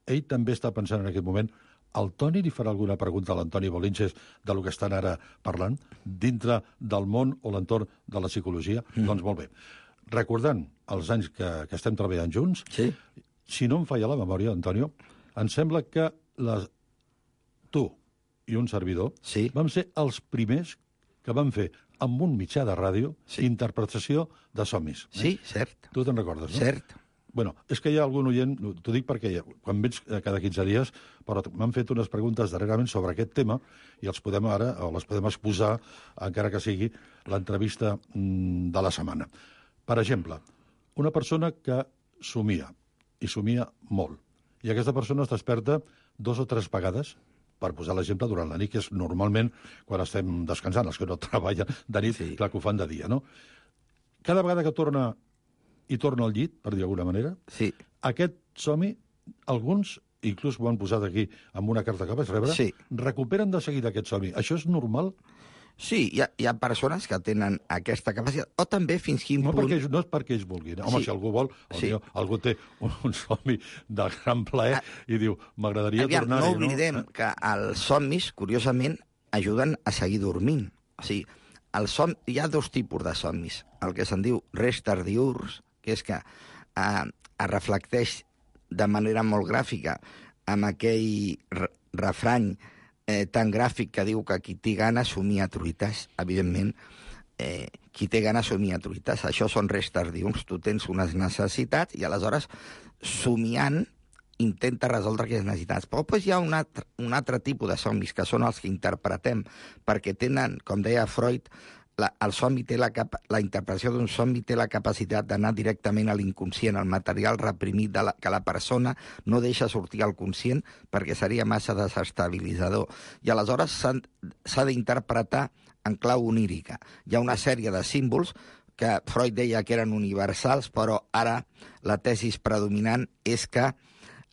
ell també està pensant en aquest moment el Toni li farà alguna pregunta a l'Antoni Bolinches de lo que estan ara parlant dintre del món o l'entorn de la psicologia? Mm. Doncs molt bé. Recordant els anys que, que estem treballant junts, sí. Si no em falla la memòria, Antonio, em sembla que les... tu i un servidor sí. vam ser els primers que vam fer amb un mitjà de ràdio sí. interpretació de somnis. Sí, eh? Cert. Tu te'n recordes, no? Cert. Bueno, és que hi ha algun oient, t'ho dic perquè quan vens cada quinze dies, però m'han fet unes preguntes darrerament sobre aquest tema i els podem ara, o les podem exposar, encara que sigui l'entrevista de la setmana. Per exemple, una persona que somia, i somia molt, i aquesta persona es desperta dos o tres vegades, per posar l'exemple, durant la nit, que és normalment quan estem descansant, els que no treballen de nit, sí. Clar que ho fan de dia, no? Cada vegada que torna i torna al llit, per dir d'alguna manera, sí. Aquest somni, alguns, inclús ho han posat aquí amb una carta que vaig rebre, sí. Recuperen de seguida aquest somni. Això és normal? Sí, hi ha, hi ha persones que tenen aquesta capacitat, o també fins quin no punt... Perquè, no és perquè ells vulguin. Home, sí. Si algú vol, sí. Millor, algú té un, un somni de gran plaer ah, i diu, m'agradaria tornar-hi. No oblidem no? que els somnis, curiosament, ajuden a seguir dormint. O sigui, el som... hi ha dos tipus de somnis. El que se'n diu restes diürns, que és que eh, es reflecteix de manera molt gràfica amb aquell re refrany eh, tan gràfic que diu que qui té gana somia truites. Evidentment, eh, qui té gana somia truites. Això són restes diürns. Tu tens unes necessitats i aleshores, somiant, intenta resoldre aquestes necessitats. Però després hi ha un altre, un altre tipus de somnis, que són els que interpretem, perquè tenen, com deia Freud, La, el somni té la, capa, la interpretació d'un somni té la capacitat d'anar directament a l'inconscient, al material reprimit de la, que la persona no deixa sortir al conscient perquè seria massa desestabilitzador. I aleshores s'ha d'interpretar en clau onírica. Hi ha una sèrie de símbols que Freud deia que eren universals, però ara la tesis predominant és que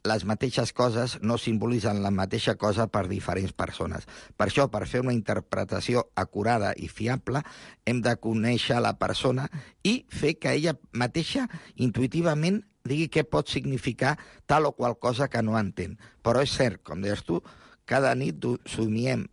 les mateixes coses no simbolitzen la mateixa cosa per diferents persones. Per això, per fer una interpretació acurada i fiable, hem de conèixer la persona i fer que ella mateixa intuïtivament digui què pot significar tal o qual cosa que no entén. Però és cert, com deies tu, cada nit somiem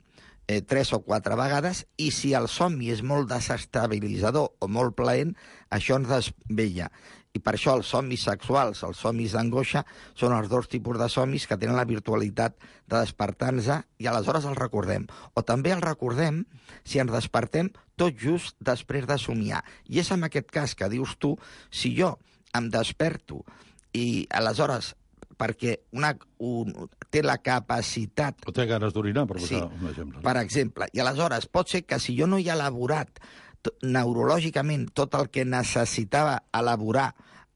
eh, tres o quatre vegades i si el somni és molt desestabilitzador o molt plaent, això ens desvella. I per això els somnis sexuals, els somnis d'angoixa, són els dos tipus de somnis que tenen la virtualitat de despertar-nos i aleshores els recordem. O també els recordem si ens despertem tot just després de somiar. I és en aquest cas que dius tu, si jo em desperto i aleshores, perquè una, un, té la capacitat... O té ganes d'orinar, per posar sí, un exemple. Per exemple. I aleshores pot ser que si jo no hi he elaborat neurològicament tot el que necessitava elaborar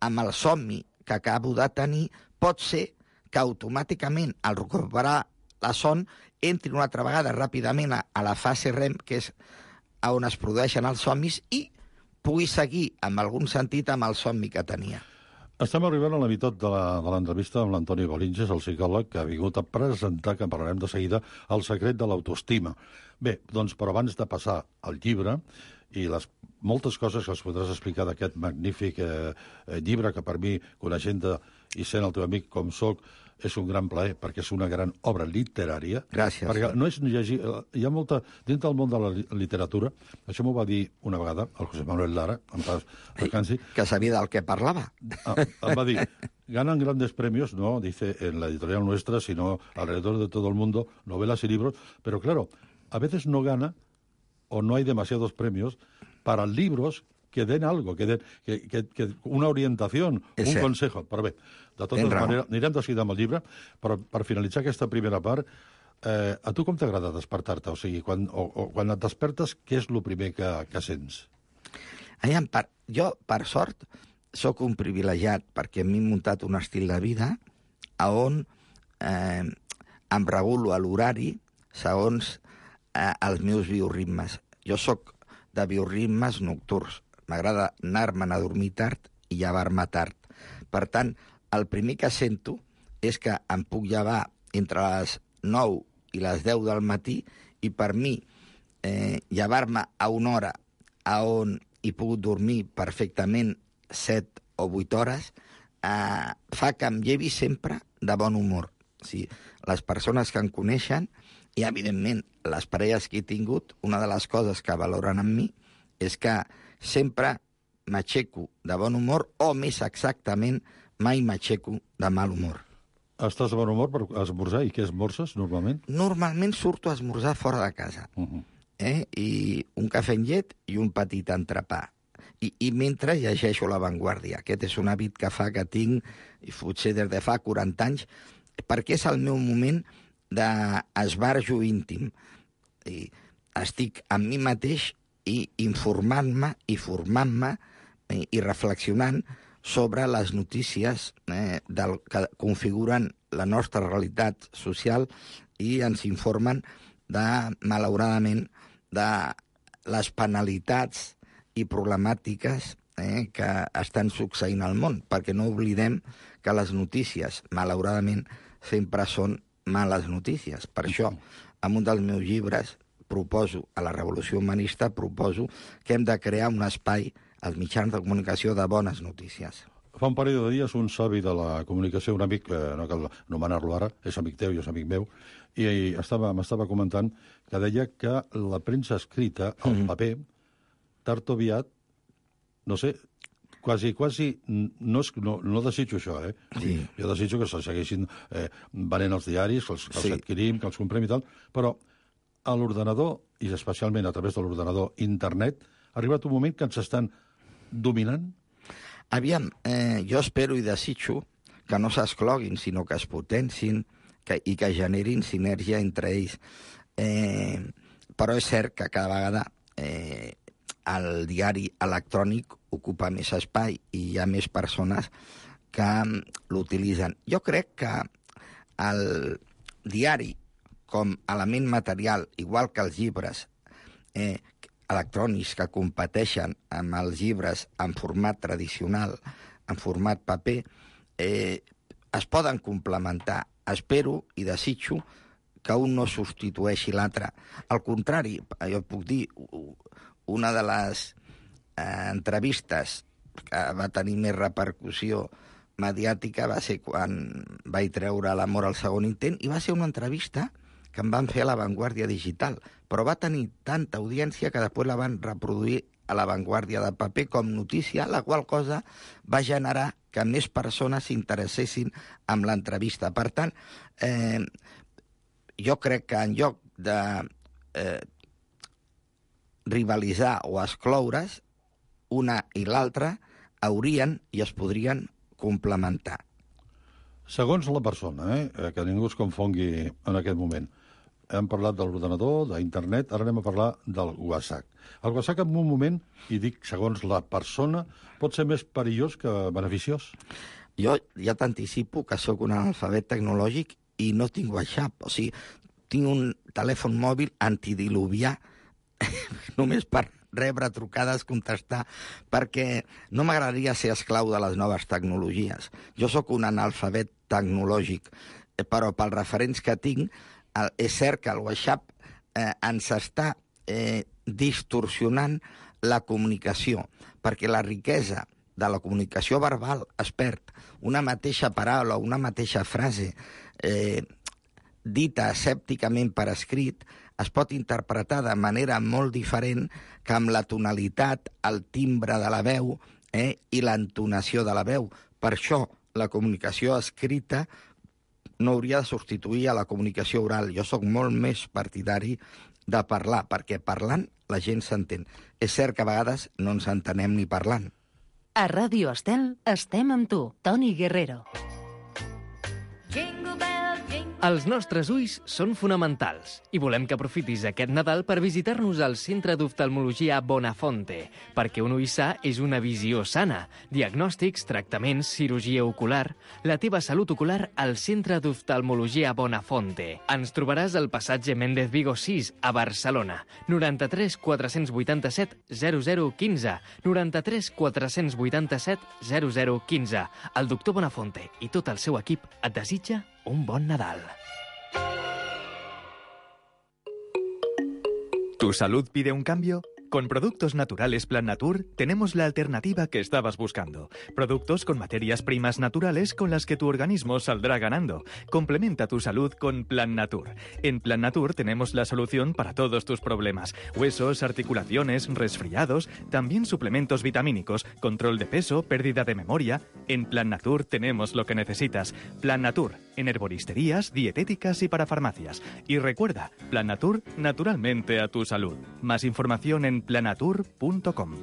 amb el somni que acabo de tenir, pot ser que automàticament, al recuperar la son, entri una altra vegada ràpidament a, a la fase REM, que és on es produeixen els somnis, i pugui seguir, en algun sentit, amb el somni que tenia. Estem arribant a la meitat de l'entrevista amb l'Antoni Bolinges, el psicòleg, que ha vingut a presentar, que en parlarem de seguida, El secret de l'autoestima. Bé, doncs, però abans de passar al llibre i les moltes coses que els podràs explicar d'aquest magnífic eh, llibre, que per mi, coneixent-te i sent el teu amic com soc, és un gran plaer, perquè és una gran obra literària. Gràcies. Perquè no és llegir... Hi ha molta... Dins del món de la literatura, això m'ho va dir una vegada el José Manuel Lara, en paz descansi. Que sabia del que parlava. Em va dir, ganan grandes premios, no, dice, en la editorial nuestra, sino alrededor de todo el mundo, novelas y libros, pero claro, a veces no gana o no hay demasiados premios para libros que den algo, que den que, que, que una orientación, és un cert. Consejo. Però bé, de totes maneres, anirem de seguida amb el llibre, però per finalitzar aquesta primera part, eh, a tu com t'agrada despertar-te? O sigui, quan, o, o, quan et despertes, què és el primer que, que sents? Aviam, per, jo, per sort, sóc un privilegiat, perquè m'he muntat un estil de vida a on eh, em regulo a l'horari segons eh, els meus bioritmes. Jo sóc de bioritmes nocturns. M'agrada anar-me'n a dormir tard i llevar-me tard. Per tant, el primer que sento és que em puc llevar entre les nou i les deu del matí i per mi eh, llevar-me a una hora a on he pogut dormir perfectament set o vuit hores eh, fa que em llevi sempre de bon humor. O sigui, les persones que em coneixen i, evidentment, les parelles que he tingut, una de les coses que valoren en mi és que sempre m'aixeco de bon humor o, més exactament, mai m'aixeco de mal humor. Estàs de bon humor per esmorzar? I què esmorzes, normalment? Normalment surto a esmorzar fora de casa. Uh -huh. eh? I un cafè amb llet i un petit entrepà. I, i mentre llegeixo La Vanguardia. Aquest és un hàbit que fa que tinc, i potser des de fa quaranta anys, perquè és el meu moment d'esbarjo íntim. I estic amb mi mateix i informant-me i formant-me eh, i reflexionant sobre les notícies eh, del, que configuren la nostra realitat social i ens informen, de, malauradament, de les penalitats i problemàtiques eh, que estan succeint al món, perquè no oblidem que les notícies, malauradament, sempre són males notícies. Per això, en un dels meus llibres, proposo, a la Revolució Humanista, proposo que hem de crear un espai als mitjans de comunicació de bones notícies. Fa un parell de dies un savi de la comunicació, un amic, eh, no cal anomenar-lo ara, és amic teu i és amic meu, i estava, m'estava comentant que deia que la premsa escrita, el mm. paper, tard o aviat, no sé, quasi, quasi, no, és, no, no desitjo això, eh? Sí. Jo desitjo que se segueixin eh, venent els diaris, que els, que els sí. adquirim, que els comprem i tal, però a l'ordenador, i especialment a través de l'ordenador internet, ha arribat un moment que ens estan dominant? Aviam, eh, jo espero i desitjo que no s'escloguin, sinó que es potencin que, i que generin sinergia entre ells. Eh, però és cert que cada vegada eh, el diari electrònic ocupa més espai i hi ha més persones que l'utilitzen. Jo crec que el diari com element material, igual que els llibres eh, electrònics que competeixen amb els llibres en format tradicional, en format paper, eh, es poden complementar. Espero i desitjo que un no substitueixi l'altre. Al contrari, jo puc dir, una de les eh, entrevistes que va tenir més repercussió mediàtica va ser quan vaig treure L'amor al segon intent, i va ser una entrevista que em van fer a La Vanguardia Digital, però va tenir tanta audiència que després la van reproduir a La Vanguardia de paper com notícia, la qual cosa va generar que més persones s'interessessin amb l'entrevista. Per tant, eh, jo crec que en lloc de eh, rivalitzar o excloure's, una i l'altra haurien i es podrien complementar. Segons la persona, eh, que ningú es confongui en aquest moment. Hem parlat de l'ordenador, d'internet, ara anem a parlar del WhatsApp. El WhatsApp en un moment, i dic segons la persona, pot ser més perillós que beneficiós? Jo ja t'anticipo que sóc un analfabet tecnològic i no tinc WhatsApp. O sigui, tinc un telèfon mòbil antidiluvià només per rebre trucades, contestar, perquè no m'agradaria ser esclau de les noves tecnologies. Jo sóc un analfabet tecnològic, però pels referents que tinc, és cert que el WhatsApp eh, ens està eh, distorsionant la comunicació, perquè la riquesa de la comunicació verbal es perd. Una mateixa paraula, una mateixa frase eh, dita escèpticament per escrit es pot interpretar de manera molt diferent que amb la tonalitat, el timbre de la veu eh, i l'entonació de la veu. Per això la comunicació escrita no hauria de substituir a la comunicació oral. Jo sóc molt més partidari de parlar, perquè parlant la gent s'entén. És cert que a vegades no ens entenem ni parlant. A Ràdio Estel estem amb tu, Toni Guerrero. Els nostres ulls són fonamentals i volem que aprofitis aquest Nadal per visitar-nos al Centre d'Oftalmologia Bonafonte, perquè un ull sa és una visió sana. Diagnòstics, tractaments, cirurgia ocular... La teva salut ocular al Centre d'Oftalmologia Bonafonte. Ens trobaràs al passatge Méndez Vigo sis, a Barcelona. noranta-tres quatre-cents vuitanta-set zero zero quinze. noranta-tres quatre-cents vuitanta-set zero zero quinze. El doctor Bonafonte i tot el seu equip et desitja un bon Nadal. ¿Tu salud pide un cambio? Con Productos Naturales Plan Natur tenemos la alternativa que estabas buscando. Productos con materias primas naturales con las que tu organismo saldrá ganando. Complementa tu salud con Plan Natur. En Plan Natur tenemos la solución para todos tus problemas. Huesos, articulaciones, resfriados, también suplementos vitamínicos, control de peso, pérdida de memoria. En Plan Natur tenemos lo que necesitas. Plan Natur, en herboristerías, dietéticas y para farmacias. Y recuerda, Plan Natur, naturalmente a tu salud. Más información en planatur punto com.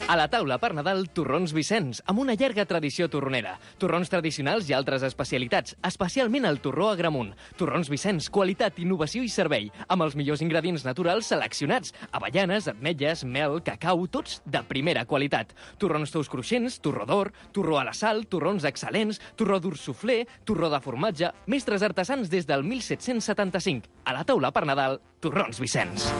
A la taula per Nadal, torrons Vicenç, amb una llarga tradició torronera. Torrons tradicionals i altres especialitats, especialment el torró Agramunt. Torrons Vicenç, qualitat, innovació i servei, amb els millors ingredients naturals seleccionats. Avellanes, ametlles, mel, cacau, tots de primera qualitat. Torrons tous cruixents, torró d'or, torró a la sal, torrons excel·lents, torró dur suflé, torró de formatge, mestres artesans des del mil set-cents setanta-cinc. A la taula per Nadal, torrons Vicenç.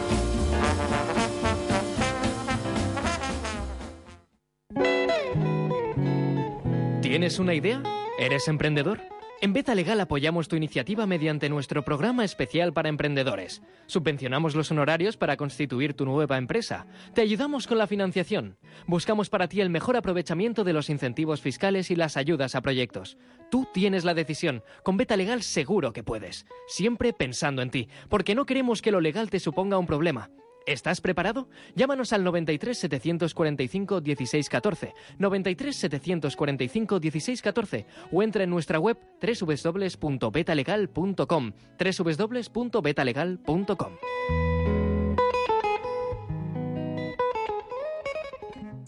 ¿Tienes una idea? ¿Eres emprendedor? En Beta Legal apoyamos tu iniciativa mediante nuestro programa especial para emprendedores. Subvencionamos los honorarios para constituir tu nueva empresa. Te ayudamos con la financiación. Buscamos para ti el mejor aprovechamiento de los incentivos fiscales y las ayudas a proyectos. Tú tienes la decisión. Con Beta Legal seguro que puedes. Siempre pensando en ti, porque no queremos que lo legal te suponga un problema. ¿Estás preparado? Llámanos al noventa y tres setecientos cuarenta y cinco dieciséis catorce, noventa y tres setecientos cuarenta y cinco dieciséis catorce o entra en nuestra web doble u doble u doble u punto betalegal punto com, doble u doble u doble u punto betalegal punto com.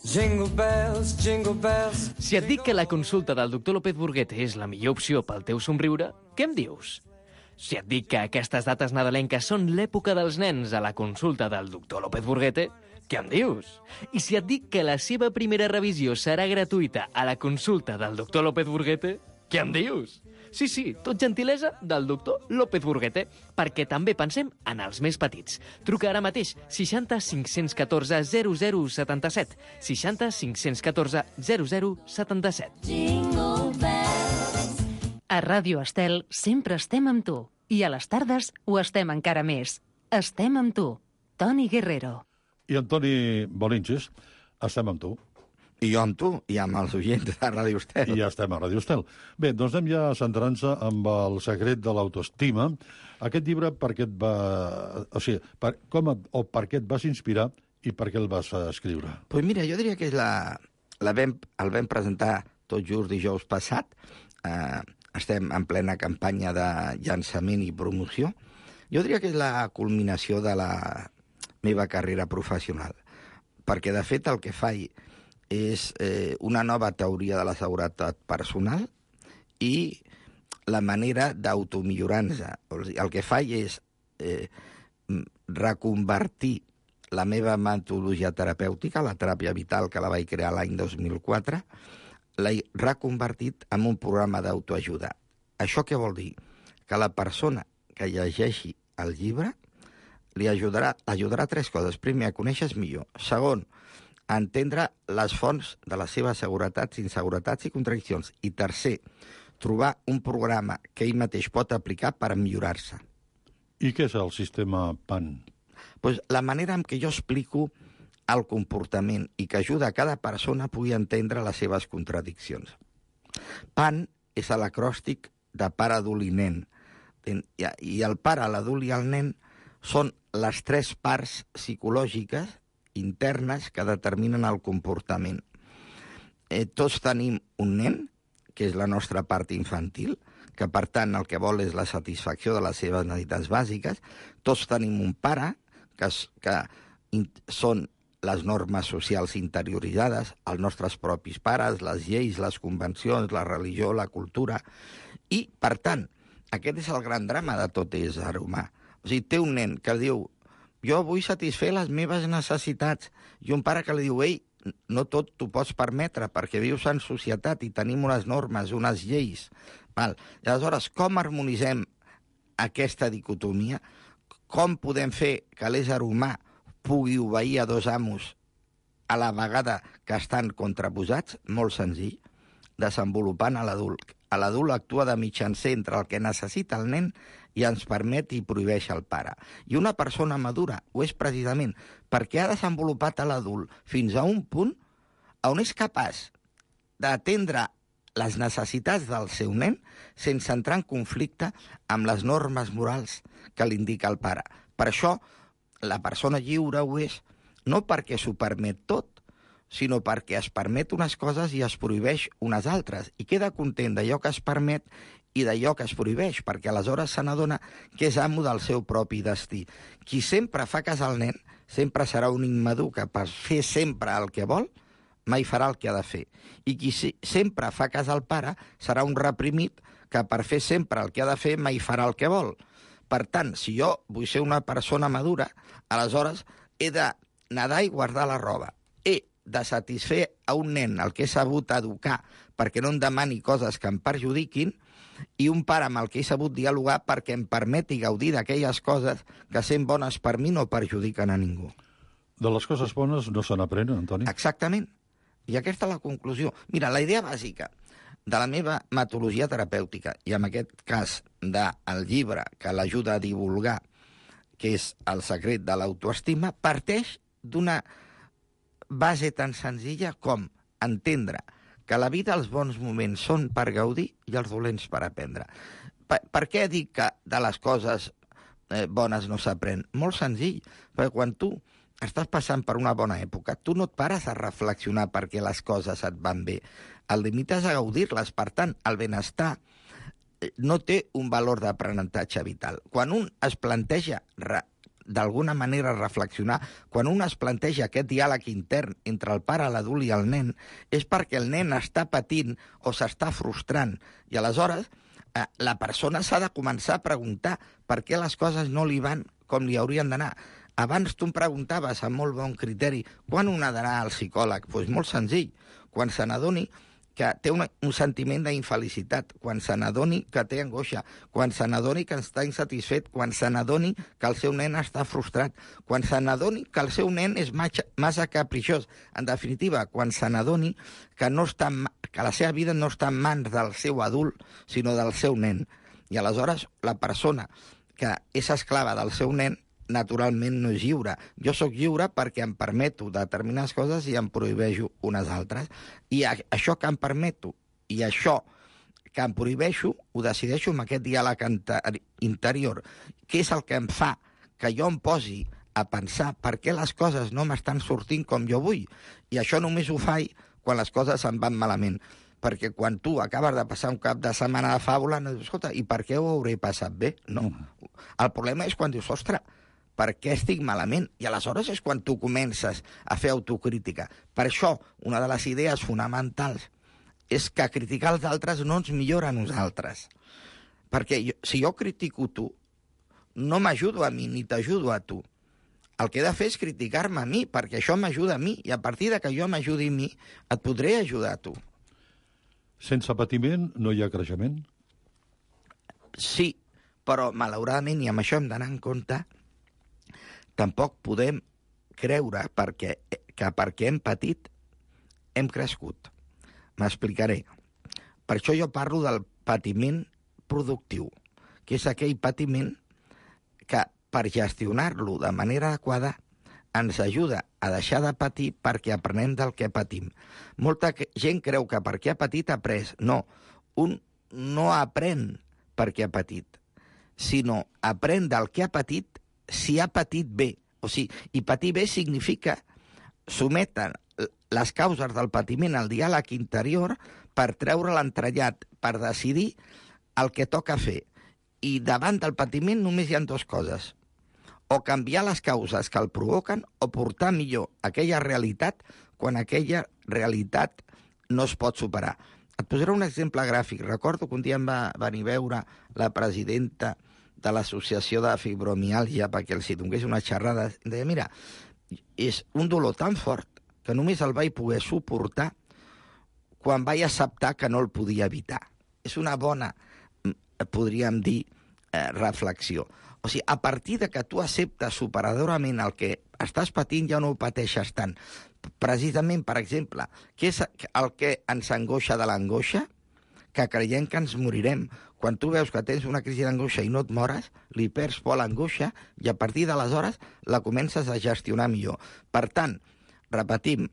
Jingle bells, jingle bells. Si et dic que la consulta del doctor López Burguete és la millor opció pel teu somriure, què em dius? Si et dic que aquestes dates nadalenques són l'època dels nens a la consulta del doctor López Burguete, què em dius? I si et dic que la seva primera revisió serà gratuïta a la consulta del doctor López Burguete, què em dius? Sí, sí, tot gentilesa del doctor López Burguete, perquè també pensem en els més petits. Truca ara mateix seixanta cinc-cents catorze zero zero setanta-set, seixanta cinc-cents catorze zero zero setanta-set. Jingle bells. A Ràdio Estel sempre estem amb tu. I a les tardes ho estem encara més. Estem amb tu, Toni Guerrero. I Antoni Bolinches, estem amb tu. I jo amb tu, i amb els oients de Ràdio Estel. I ja estem a Ràdio Estel. Bé, doncs anem ja centrant-se amb el secret de l'autoestima. Aquest llibre, per què et va... O sigui, per, com et, o per què et vas inspirar i per què el vas escriure? Doncs pues mira, jo diria que és la, la vam, el vam presentar tot just dijous passat. Eh, estem en plena campanya de llançament i promoció. Jo diria que és la culminació de la meva carrera professional. Perquè, de fet, el que faig és eh, una nova teoria de la seguretat personal i la manera d'automillorar-se. El que faig és eh, reconvertir la meva metodologia terapèutica, la teràpia vital, que la vaig crear l'any dos mil quatre, l'he reconvertit en un programa d'autoajuda. Això què vol dir? Que la persona que llegeixi el llibre li ajudarà, ajudarà a tres coses. Primer, a conèixer millor. Segon, a entendre les fonts de les seves seguretats, inseguretats i contradiccions. I tercer, trobar un programa que ell mateix pot aplicar per millorar-se. I què és el sistema P A N? Pues la manera en què jo explico el comportament i que ajuda a cada persona a pugui entendre les seves contradiccions. P A N és l'acròstic de pare, adult i nen. I el pare, l'adult i el nen són les tres parts psicològiques internes que determinen el comportament. Eh, tots tenim un nen, que és la nostra part infantil, que per tant el que vol és la satisfacció de les seves necessitats bàsiques. Tots tenim un pare, que, es, que in, són les normes socials interioritzades, els nostres propis pares, les lleis, les convencions, la religió, la cultura. I, per tant, aquest és el gran drama de tot ésser humà. O sigui, té un nen que diu, jo vull satisfer les meves necessitats, i un pare que li diu, ei, no tot t'ho pots permetre, perquè vius en societat i tenim unes normes, unes lleis. Val? I aleshores, com harmonitzem aquesta dicotomia? Com podem fer que l'ésser humà pugui obeir a dos amos a la vegada que estan contraposats? Molt senzill, desenvolupant a l'adult. A l'adult actua de mitjancer entre el que necessita el nen i ens permet i prohibeix el pare. I una persona madura ho és precisament perquè ha desenvolupat a l'adult fins a un punt on és capaç d'atendre les necessitats del seu nen sense entrar en conflicte amb les normes morals que li indica el pare. Per això, la persona lliure ho és no perquè s'ho permet tot, sinó perquè es permet unes coses i es prohibeix unes altres, i queda content d'allò que es permet i d'allò que es prohibeix, perquè aleshores se n'adona que és amo del seu propi destí. Qui sempre fa cas al nen sempre serà un immadur que per fer sempre el que vol mai farà el que ha de fer. I qui sempre fa cas al pare serà un reprimit que per fer sempre el que ha de fer mai farà el que vol. Per tant, si jo vull ser una persona madura, aleshores he de nedar i guardar la roba. He de satisfer a un nen el que he sabut educar perquè no em demani coses que em perjudiquin, i un pare amb el que he sabut dialogar perquè em permeti gaudir d'aquelles coses que, sent bones per mi, no perjudiquen a ningú. De les coses bones no se n'aprenen, Antoni? Exactament. I aquesta és la conclusió. Mira, la idea bàsica de la meva metodologia terapèutica, i en aquest cas del llibre que l'ajuda a divulgar, que és El secret de l'autoestima, parteix d'una base tan senzilla com entendre que a la vida els bons moments són per gaudir i els dolents per aprendre. Per, per què dic que de les coses eh, bones no s'aprèn? Molt senzill, perquè quan tu estàs passant per una bona època, tu no et pares a reflexionar perquè les coses et van bé. El limites a gaudir-les, per tant, el benestar no té un valor d'aprenentatge vital. Quan un es planteja d'alguna manera reflexionar, quan un es planteja aquest diàleg intern entre el pare, l'adult i el nen, és perquè el nen està patint o s'està frustrant. I aleshores eh, la persona s'ha de començar a preguntar per què les coses no li van com li haurien d'anar. Abans tu em preguntaves, amb molt bon criteri, quan un ha d'anar al psicòleg? Doncs pues molt senzill, quan se n'adoni que té un, un sentiment d'infelicitat, quan se n'adoni que té angoixa, quan se n'adoni que està insatisfet, quan se n'adoni que el seu nen està frustrat, quan se n'adoni que el seu nen és massa capriciós. En definitiva, quan se n'adoni que, no està, que la seva vida no està en mans del seu adult, sinó del seu nen. I aleshores la persona que és esclava del seu nen naturalment no és lliure. Jo sóc lliure perquè em permeto determinades coses i em prohibeixo unes altres. I això que em permeto i això que em prohibeixo ho decideixo amb aquest diàleg interior, que és el que em fa que jo em posi a pensar per què les coses no m'estan sortint com jo vull. I això només ho faig quan les coses em van malament. Perquè quan tu acabes de passar un cap de setmana de fàbula, no dius, escolta, i per què ho hauré passat bé? No. El problema és quan dius, ostres, per què estic malament? I aleshores és quan tu comences a fer autocrítica. Per això, una de les idees fonamentals és que criticar els altres no ens millora a nosaltres. Perquè jo, si jo critico tu, no m'ajudo a mi ni t'ajudo a tu. El que he de fer és criticar-me a mi, perquè això m'ajuda a mi, i a partir de que jo m'ajudi a mi, et podré ajudar a tu. Sense patiment no hi ha creixement? Sí, però malauradament, i amb això hem d'anar en compte, tampoc podem creure perquè, que perquè hem patit hem crescut. M'explicaré. Per això jo parlo del patiment productiu, que és aquell patiment que per gestionar-lo de manera adequada ens ajuda a deixar de patir perquè aprenem del que patim. Molta gent creu que perquè ha patit ha après. No, un no aprèn perquè ha patit, sinó aprèn del que ha patit si ha patit bé. O sigui, i patir bé significa sometre les causes del patiment al diàleg interior per treure l'entrellat, per decidir el que toca fer. I davant del patiment només hi ha dues coses. O canviar les causes que el provoquen o portar millor aquella realitat quan aquella realitat no es pot superar. Et posaré un exemple gràfic. Recordo que un dia em va venir a veure la presidenta de l'associació de fibromiàlgia perquè els hi donés una xerrada. Em deia, mira, és un dolor tan fort que només el vaig poder suportar quan vaig acceptar que no el podia evitar. És una bona, podríem dir, eh, reflexió. O sigui, a partir de que tu acceptes superadorament el que estàs patint, ja no ho pateixes tant. Precisament, per exemple, què és el que ens angoixa de l'angoixa? Que creiem que ens morirem. Quan tu veus que tens una crisi d'angoixa i no et mores, li perds por a l'angoixa i a partir d'aleshores la comences a gestionar millor. Per tant, repetim,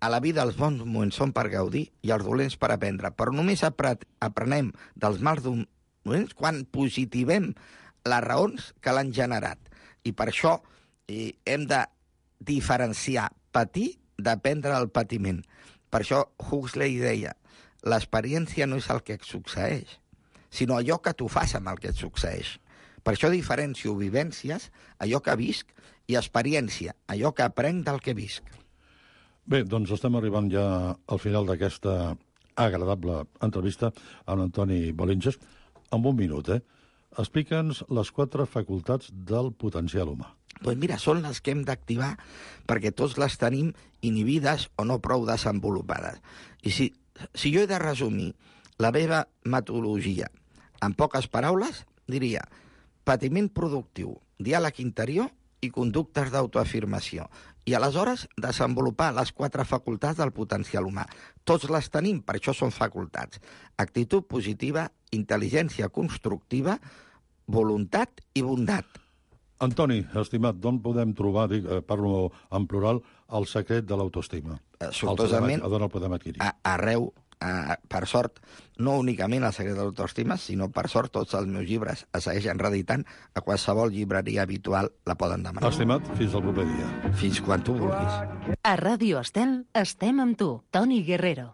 a la vida els bons moments són per gaudir i els dolents per aprendre, però només aprenem dels mals dolents quan positivem les raons que l'han generat. I per això eh, hem de diferenciar patir d'aprendre del patiment. Per això Huxley deia, l'experiència no és el que et succeeix, sinó allò que tu fas amb el que et succeeix. Per això diferencio vivències, allò que visc, i experiència, allò que aprenc del que visc. Bé, doncs estem arribant ja al final d'aquesta agradable entrevista amb Antoni Bolinges. En un minut, eh? Explica'ns les quatre facultats del potencial humà. Doncs mira, són les que hem d'activar perquè tots les tenim inhibides o no prou desenvolupades. I si, si jo he de resumir la meva metodologia en poques paraules, diria patiment productiu, diàleg interior i conductes d'autoafirmació. I aleshores desenvolupar les quatre facultats del potencial humà. Tots les tenim, per això són facultats. Actitud positiva, intel·ligència constructiva, voluntat i bondat. Antoni, estimat, d'on podem trobar, dic, eh, parlo en plural, el secret de l'autoestima? Eh, sortosament, d'on el podem adquirir? A, arreu, a, per sort, no únicament el secret de l'autoestima, sinó per sort tots els meus llibres es segueixen reeditant, a qualsevol llibreria habitual la poden demanar. Estimat, fins al proper dia. Fins quan tu vulguis. A Ràdio Estel estem amb tu, Toni Guerrero.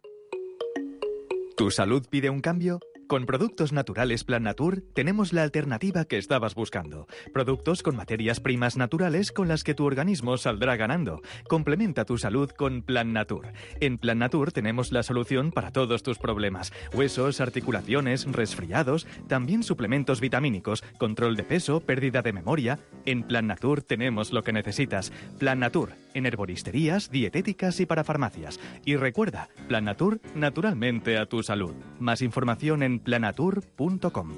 ¿Tu salud pide un cambio? Con Productos Naturales Plan Natur tenemos la alternativa que estabas buscando. Productos con materias primas naturales con las que tu organismo saldrá ganando. Complementa tu salud con Plan Natur. En Plan Natur tenemos la solución para todos tus problemas. Huesos, articulaciones, resfriados, también suplementos vitamínicos, control de peso, pérdida de memoria. En Plan Natur tenemos lo que necesitas. Plan Natur, en herboristerías, dietéticas y para farmacias. Y recuerda, Plan Natur, naturalmente a tu salud. Más información en planatur punt com.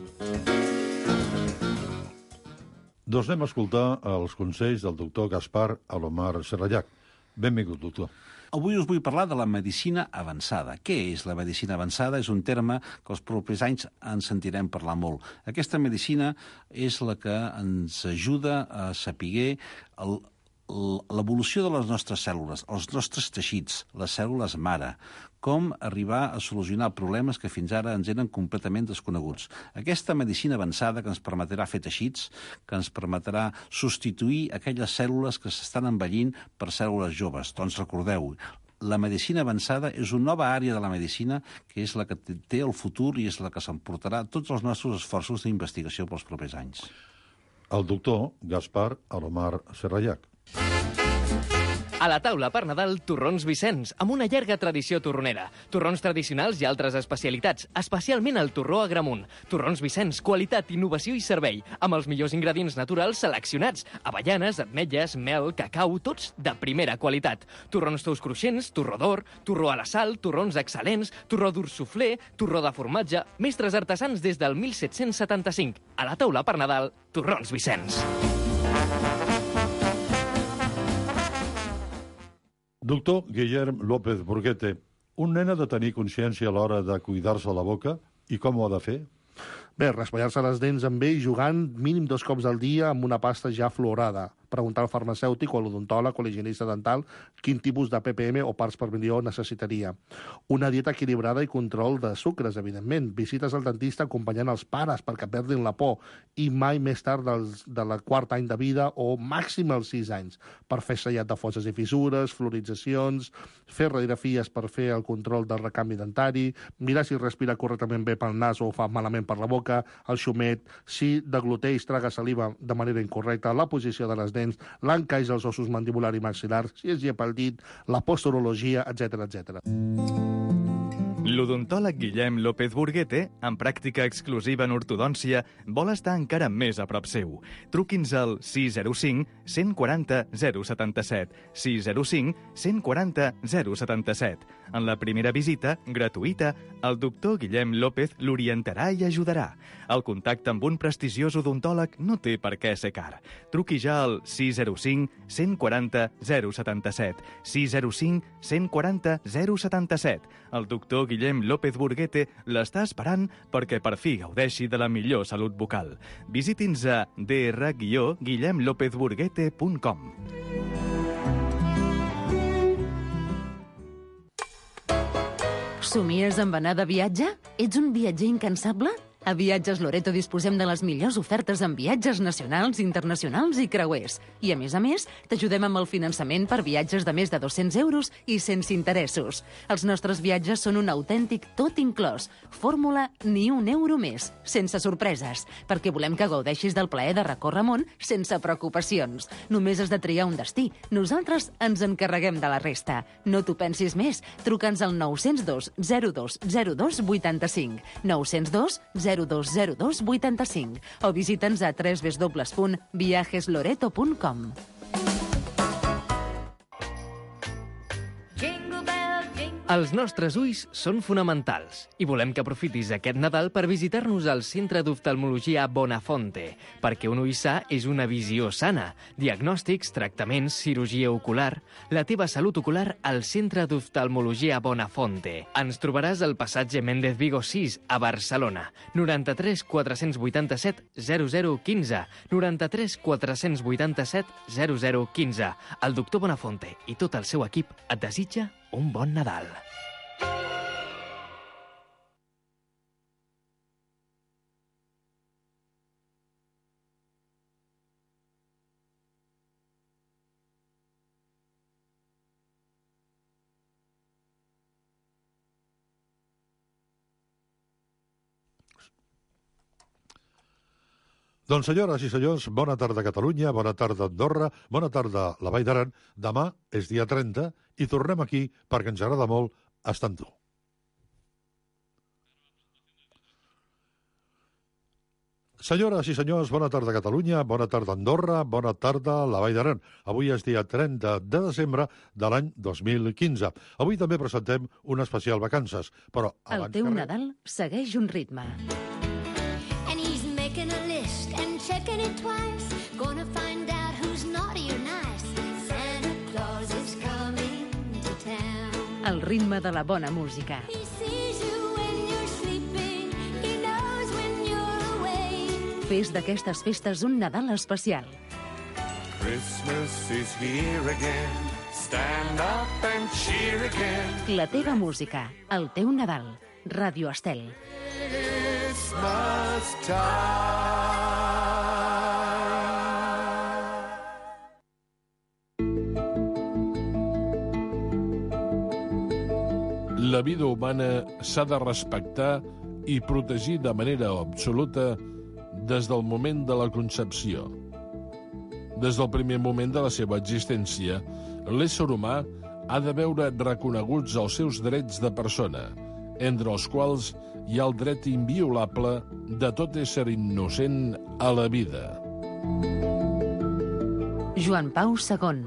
Doncs anem a escoltar els consells del doctor Gaspar Alomar Serrallac. Benvingut, doctor. Avui us vull parlar de la medicina avançada. Què és la medicina avançada? És un terme que els propers anys en sentirem parlar molt. Aquesta medicina és la que ens ajuda a saber el l'evolució de les nostres cèl·lules, els nostres teixits, les cèl·lules mare, com arribar a solucionar problemes que fins ara ens eren completament desconeguts. Aquesta medicina avançada que ens permetrà fer teixits, que ens permetrà substituir aquelles cèl·lules que s'estan envellint per cèl·lules joves. Doncs recordeu, la medicina avançada és una nova àrea de la medicina que és la que té el futur i és la que s'emportarà tots els nostres esforços d'investigació pels propers anys. el doctor Gaspar Alomar Serrallac. A la taula per Nadal, torrons Vicenç, amb una llarga tradició torronera. Torrons tradicionals i altres especialitats, especialment el torró Agramunt. Torrons Vicenç, qualitat, innovació i servei, amb els millors ingredients naturals seleccionats. Avellanes, ametlles, mel, cacau, tots de primera qualitat. Torrons tous cruixents, torró d'or, torró a la sal, torrons excel·lents, torró dur suflé, torró de formatge, mestres artesans des del mil set-cents setanta-cinc. A la taula per Nadal, torrons Vicenç. Doctor Guillem López Burguete, un nen ha de tenir consciència a l'hora de cuidar-se la boca i com ho ha de fer? Bé, raspallar-se les dents amb ell jugant mínim dos cops al dia amb una pasta ja fluorada. Preguntar al farmacèutic o a l'odontòleg o a l'higienista dental quin tipus de P P M o parts per milió necessitaria. Una dieta equilibrada i control de sucres, evidentment. Visites al dentista acompanyant els pares perquè perdin la por i mai més tard dels, de la quart any de vida o màxim als sis anys per fer sellat de fosses i fissures, fluoritzacions, fer radiografies per fer el control del recanvi dentari, mirar si respira correctament bé pel nas o fa malament per la boca, el xumet, si degluteix, traga saliva de manera incorrecta, la posició de les dents, l'encaix dels ossos mandibular i maxil·lar, si es llepa el dit, la posturologia, etcètera, etcètera. L'odontòleg Guillem López Burguete, amb pràctica exclusiva en ortodòncia, vol estar encara més a prop seu. Truqui'ns al sis zero cinc, cent quaranta, zero setanta-set, sis zero cinc, cent quaranta, zero setanta-set. En la primera visita, gratuïta, el doctor Guillem López l'orientarà i ajudarà. El contacte amb un prestigiós odontòleg no té per què ser car. Truqui ja al sis zero cinc, cent quaranta, zero setanta-set, sis zero cinc, cent quaranta, zero setanta-set. El doctor Guillem López Burguete l'està esperant perquè per fi gaudeixi de la millor salut bucal. Visiti'ns a d r guillem lópez burguete punt com. Somies amb anar de viatge? Ets un viatger incansable? A Viatges Loreto disposem de les millors ofertes en viatges nacionals, internacionals i creuers. I, a més a més, t'ajudem amb el finançament per viatges de més de dos-cents euros i sense interessos. Els nostres viatges són un autèntic tot inclòs. Fórmula ni un euro més, sense sorpreses, perquè volem que gaudeixis del plaer de recórrer món sense preocupacions. Només has de triar un destí. Nosaltres ens encarreguem de la resta. No t'ho pensis més. Truca'ns al nou zero dos, zero dos, zero dos, vuitanta-cinc. nou zero dos, zero dos zero dos, vuitanta-cinc o visita'ns a w w w punt viajes loreto punt com. Els nostres ulls són fonamentals i volem que aprofitis aquest Nadal per visitar-nos al Centre d'Oftalmologia Bonafonte, perquè un ull sa és una visió sana. Diagnòstics, tractaments, cirurgia ocular... La teva salut ocular al Centre d'Oftalmologia Bonafonte. Ens trobaràs al passatge Méndez Vigo sis, a Barcelona. noranta-tres quatre-cents vuitanta-set zero zero quinze. noranta-tres quatre-cents vuitanta-set zero zero quinze. El doctor Bonafonte i tot el seu equip et desitja un bon Nadal. Doncs, senyores i senyors, bona tarda Catalunya, bona tarda Andorra, bona tarda la Vall d'Aran. Demà és dia trenta i tornem aquí perquè ens agrada molt estar amb tu. Senyores i senyors, bona tarda Catalunya, bona tarda Andorra, bona tarda la Vall d'Aran. Avui és dia trenta de desembre de l'any dos mil quinze. Avui també presentem un especial vacances, però... El teu Nadal segueix un ritme. Checking it twice, gonna find out who's naughty or nice. Santa Claus is coming to town. El ritme de la bona música. He sees you when you're sleeping, he knows when you're away. Fes d'aquestes festes un Nadal especial. Christmas is here again, stand up and cheer again. La teva música, el teu Nadal. Ràdio Estel. Christmas time. La vida humana s'ha de respectar i protegir de manera absoluta des del moment de la concepció. Des del primer moment de la seva existència, l'ésser humà ha de veure reconeguts els seus drets de persona, entre els quals hi ha el dret inviolable de tot ésser innocent a la vida. Joan Pau segon.